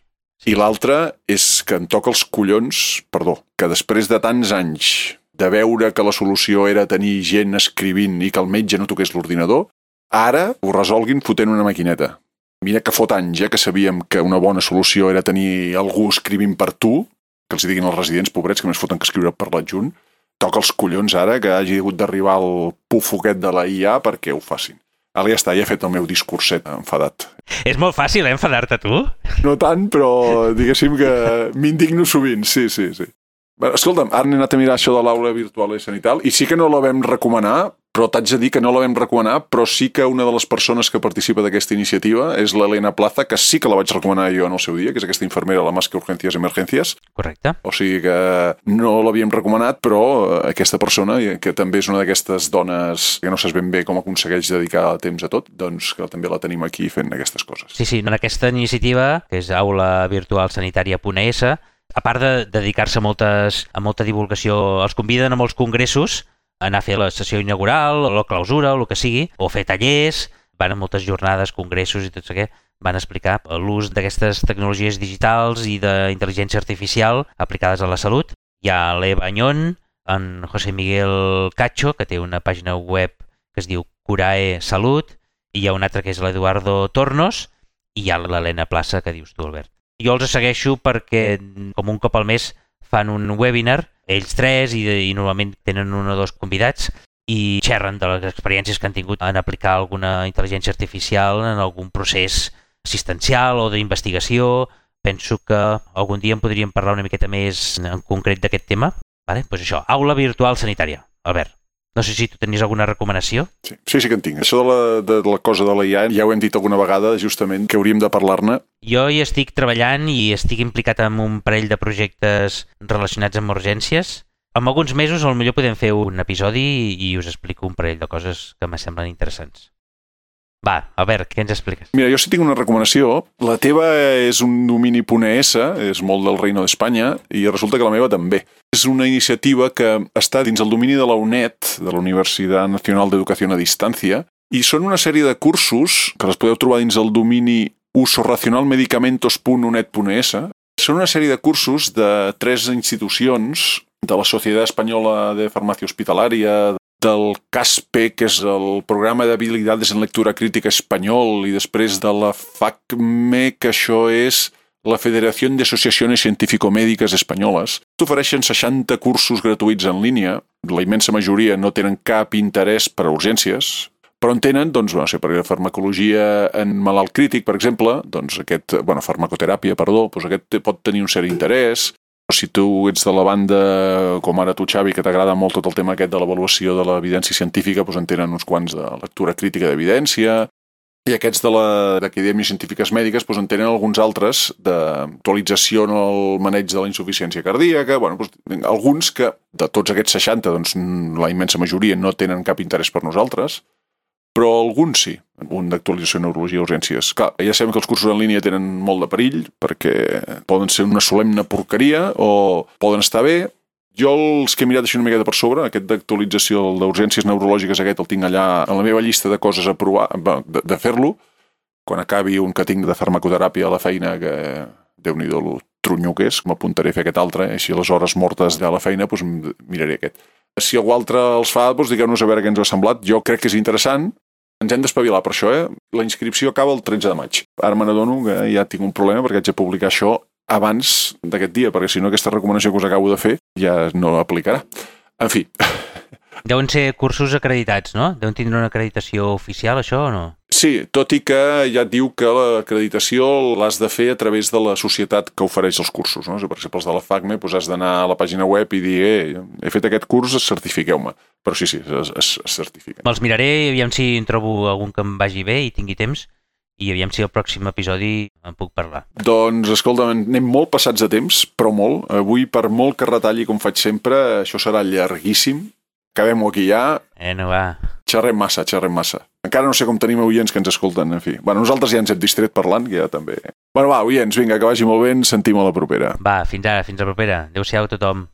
I l'altre és que em toca els collons, que després de tants anys de veure que la solució era tenir gent escrivint i que el metge no toqués l'ordinador, ara ho resolguin fotent una maquineta. Mira que fot anys que sabíem que una bona solució era tenir algú escrivint per tu, que els diguin als residents, pobrets, que més foten que escriure per l'adjunt. Toca els collons ara que hagi hagut d'arribar el pufo aquest de la IA perquè ho facin. Ara ja està, ja he fet el meu discurset enfadat. És molt fàcil, enfadar-te, tu? No tant, però diguéssim que m'indigno sovint, sí. Bé, escolta'm, ara n'he anat a mirar això de l'aula virtual i sanital, i sí que no la vam recomanar, però t'haig de dir que no la vam recomanar, però sí que una de les persones que participa d'aquesta iniciativa és l'Helena Plaza, que sí que la vaig recomanar jo en el seu dia, que és aquesta infermera a la Más que Urgencias Emergencias. Correcte. O sigui que no l'havíem recomanat, però aquesta persona, que també és una d'aquestes dones que no saps ben bé com aconsegueix dedicar temps a tot, doncs que també la tenim aquí fent aquestes coses. Sí, en aquesta iniciativa, que és Aula Virtual Sanitària.es, a part de dedicar-se a molta divulgació, els conviden a molts congressos a anar a fer la sessió inaugural, o la clausura, o el que sigui, o fer tallers, van a moltes jornades, congressos i tot això, van explicar l'ús d'aquestes tecnologies digitals i d'intel·ligència artificial aplicades a la salut. Hi ha l'Eva Añón, en José Miguel Cacho, que té una pàgina web que es diu Curae Salut, i hi ha un altre que és l'Eduardo Tornos, i hi ha l'Helena Plaza, que dius tu, Albert. Jo els segueixo perquè, com un cop al mes, fan un webinar, ells tres, i normalment tenen un o dos convidats, i xerren de les experiències que han tingut en aplicar alguna intel·ligència artificial en algun procés assistencial o d'investigació. Penso que algun dia en podríem parlar una miqueta més en concret d'aquest tema. Vale? Doncs això, aula virtual sanitària. Albert, no sé si tu tenies alguna recomanació. Sí que en tinc. Això de la cosa de la IA, ja ho hem dit alguna vegada, justament, que hauríem de parlar-ne. Jo hi estic treballant i estic implicat en un parell de projectes relacionats amb urgències. En alguns mesos potser podem fer un episodi i us explico un parell de coses que me semblen interessants. Va, Albert, què ens expliques? Mira, jo sí tinc una recomanació. La teva és un domini.es, és molt del Reino d'Espanya, i resulta que la meva també. És una iniciativa que està dins el domini de la UNED, de la Universitat Nacional d'Educació a Distància, i són una sèrie de cursos que les podeu trobar dins el domini usoracionalmedicamentos.uned.es. Són una sèrie de cursos de 3 institucions de la Societat Espanyola de Farmàcia Hospitalària, del CASPE, que és el Programa d'Habilidades en Lectura Crítica Espanyol, i després de la FACME, que això és la Federació d'Associacions Científico-Mèdiques Espanyoles. T'ofereixen 60 cursos gratuïts en línia. La immensa majoria no tenen cap interès per a urgències, però en tenen, doncs, per farmacologia en malalt crític, per exemple, doncs farmacoteràpia, doncs aquest pot tenir un cert interès. Si tu ets de la banda, com ara tu, Xavi, que t'agrada molt tot el tema aquest de l'avaluació de l'evidència científica, doncs en tenen uns quants de lectura crítica d'evidència, i aquests d'acadèmies científiques mèdiques doncs en tenen alguns altres d'actualització en el maneig de la insuficiència cardíaca, alguns que, de tots aquests 60, doncs la immensa majoria no tenen cap interès per nosaltres, però alguns sí, un d'actualització en neurologia i urgències. Clar, ja sabem que els cursos en línia tenen molt de perill, perquè poden ser una solemne porqueria o poden estar bé. Jo els que he mirat així una miqueta per sobre, aquest d'actualització d'urgències neurològiques, aquest el tinc allà en la meva llista de coses a provar, de fer-lo, quan acabi un que tinc de farmacoteràpia a la feina, que Déu-n'hi-do lo trunyo que és, m'apuntaré a fer aquest altre, així a les hores mortes de la feina doncs miraré aquest. Si algú altre els fa, doncs digueu-nos a veure què ens ha semblat. Jo crec que és interessant. Ens hem d'espavilar per això, La inscripció acaba el 13 de maig. Ara me n'adono que ja tinc un problema perquè haig de publicar això abans d'aquest dia, perquè si no aquesta recomanació que us acabo de fer ja no l'aplicarà. En fi. Deuen ser cursos acreditats, no? Deuen tindre una acreditació oficial, això, o no? Sí, tot i que ja et diu que l'acreditació l'has de fer a través de la societat que ofereix els cursos, no? Per exemple, els de la FACME has d'anar a la pàgina web i dir he fet aquest curs, certifiqueu-me. Però sí, es certifiquen. Me'ls miraré, aviam si en trobo algun que em vagi bé i tingui temps, i aviam si al pròxim episodi en puc parlar. Doncs, escolta, anem molt passats de temps, però molt. Avui, per molt que retalli, com faig sempre, això serà llarguíssim. Acabem-ho aquí ja. No va. Xerrem massa. Encara no sé com tenim oients que ens escolten, en fi. Nosaltres ja ens hem distret parlant, que ja també... Va, oients, vinga, que vagi molt bé, ens sentim a la propera. Va, fins ara, fins la propera. Adéu-siau a tothom.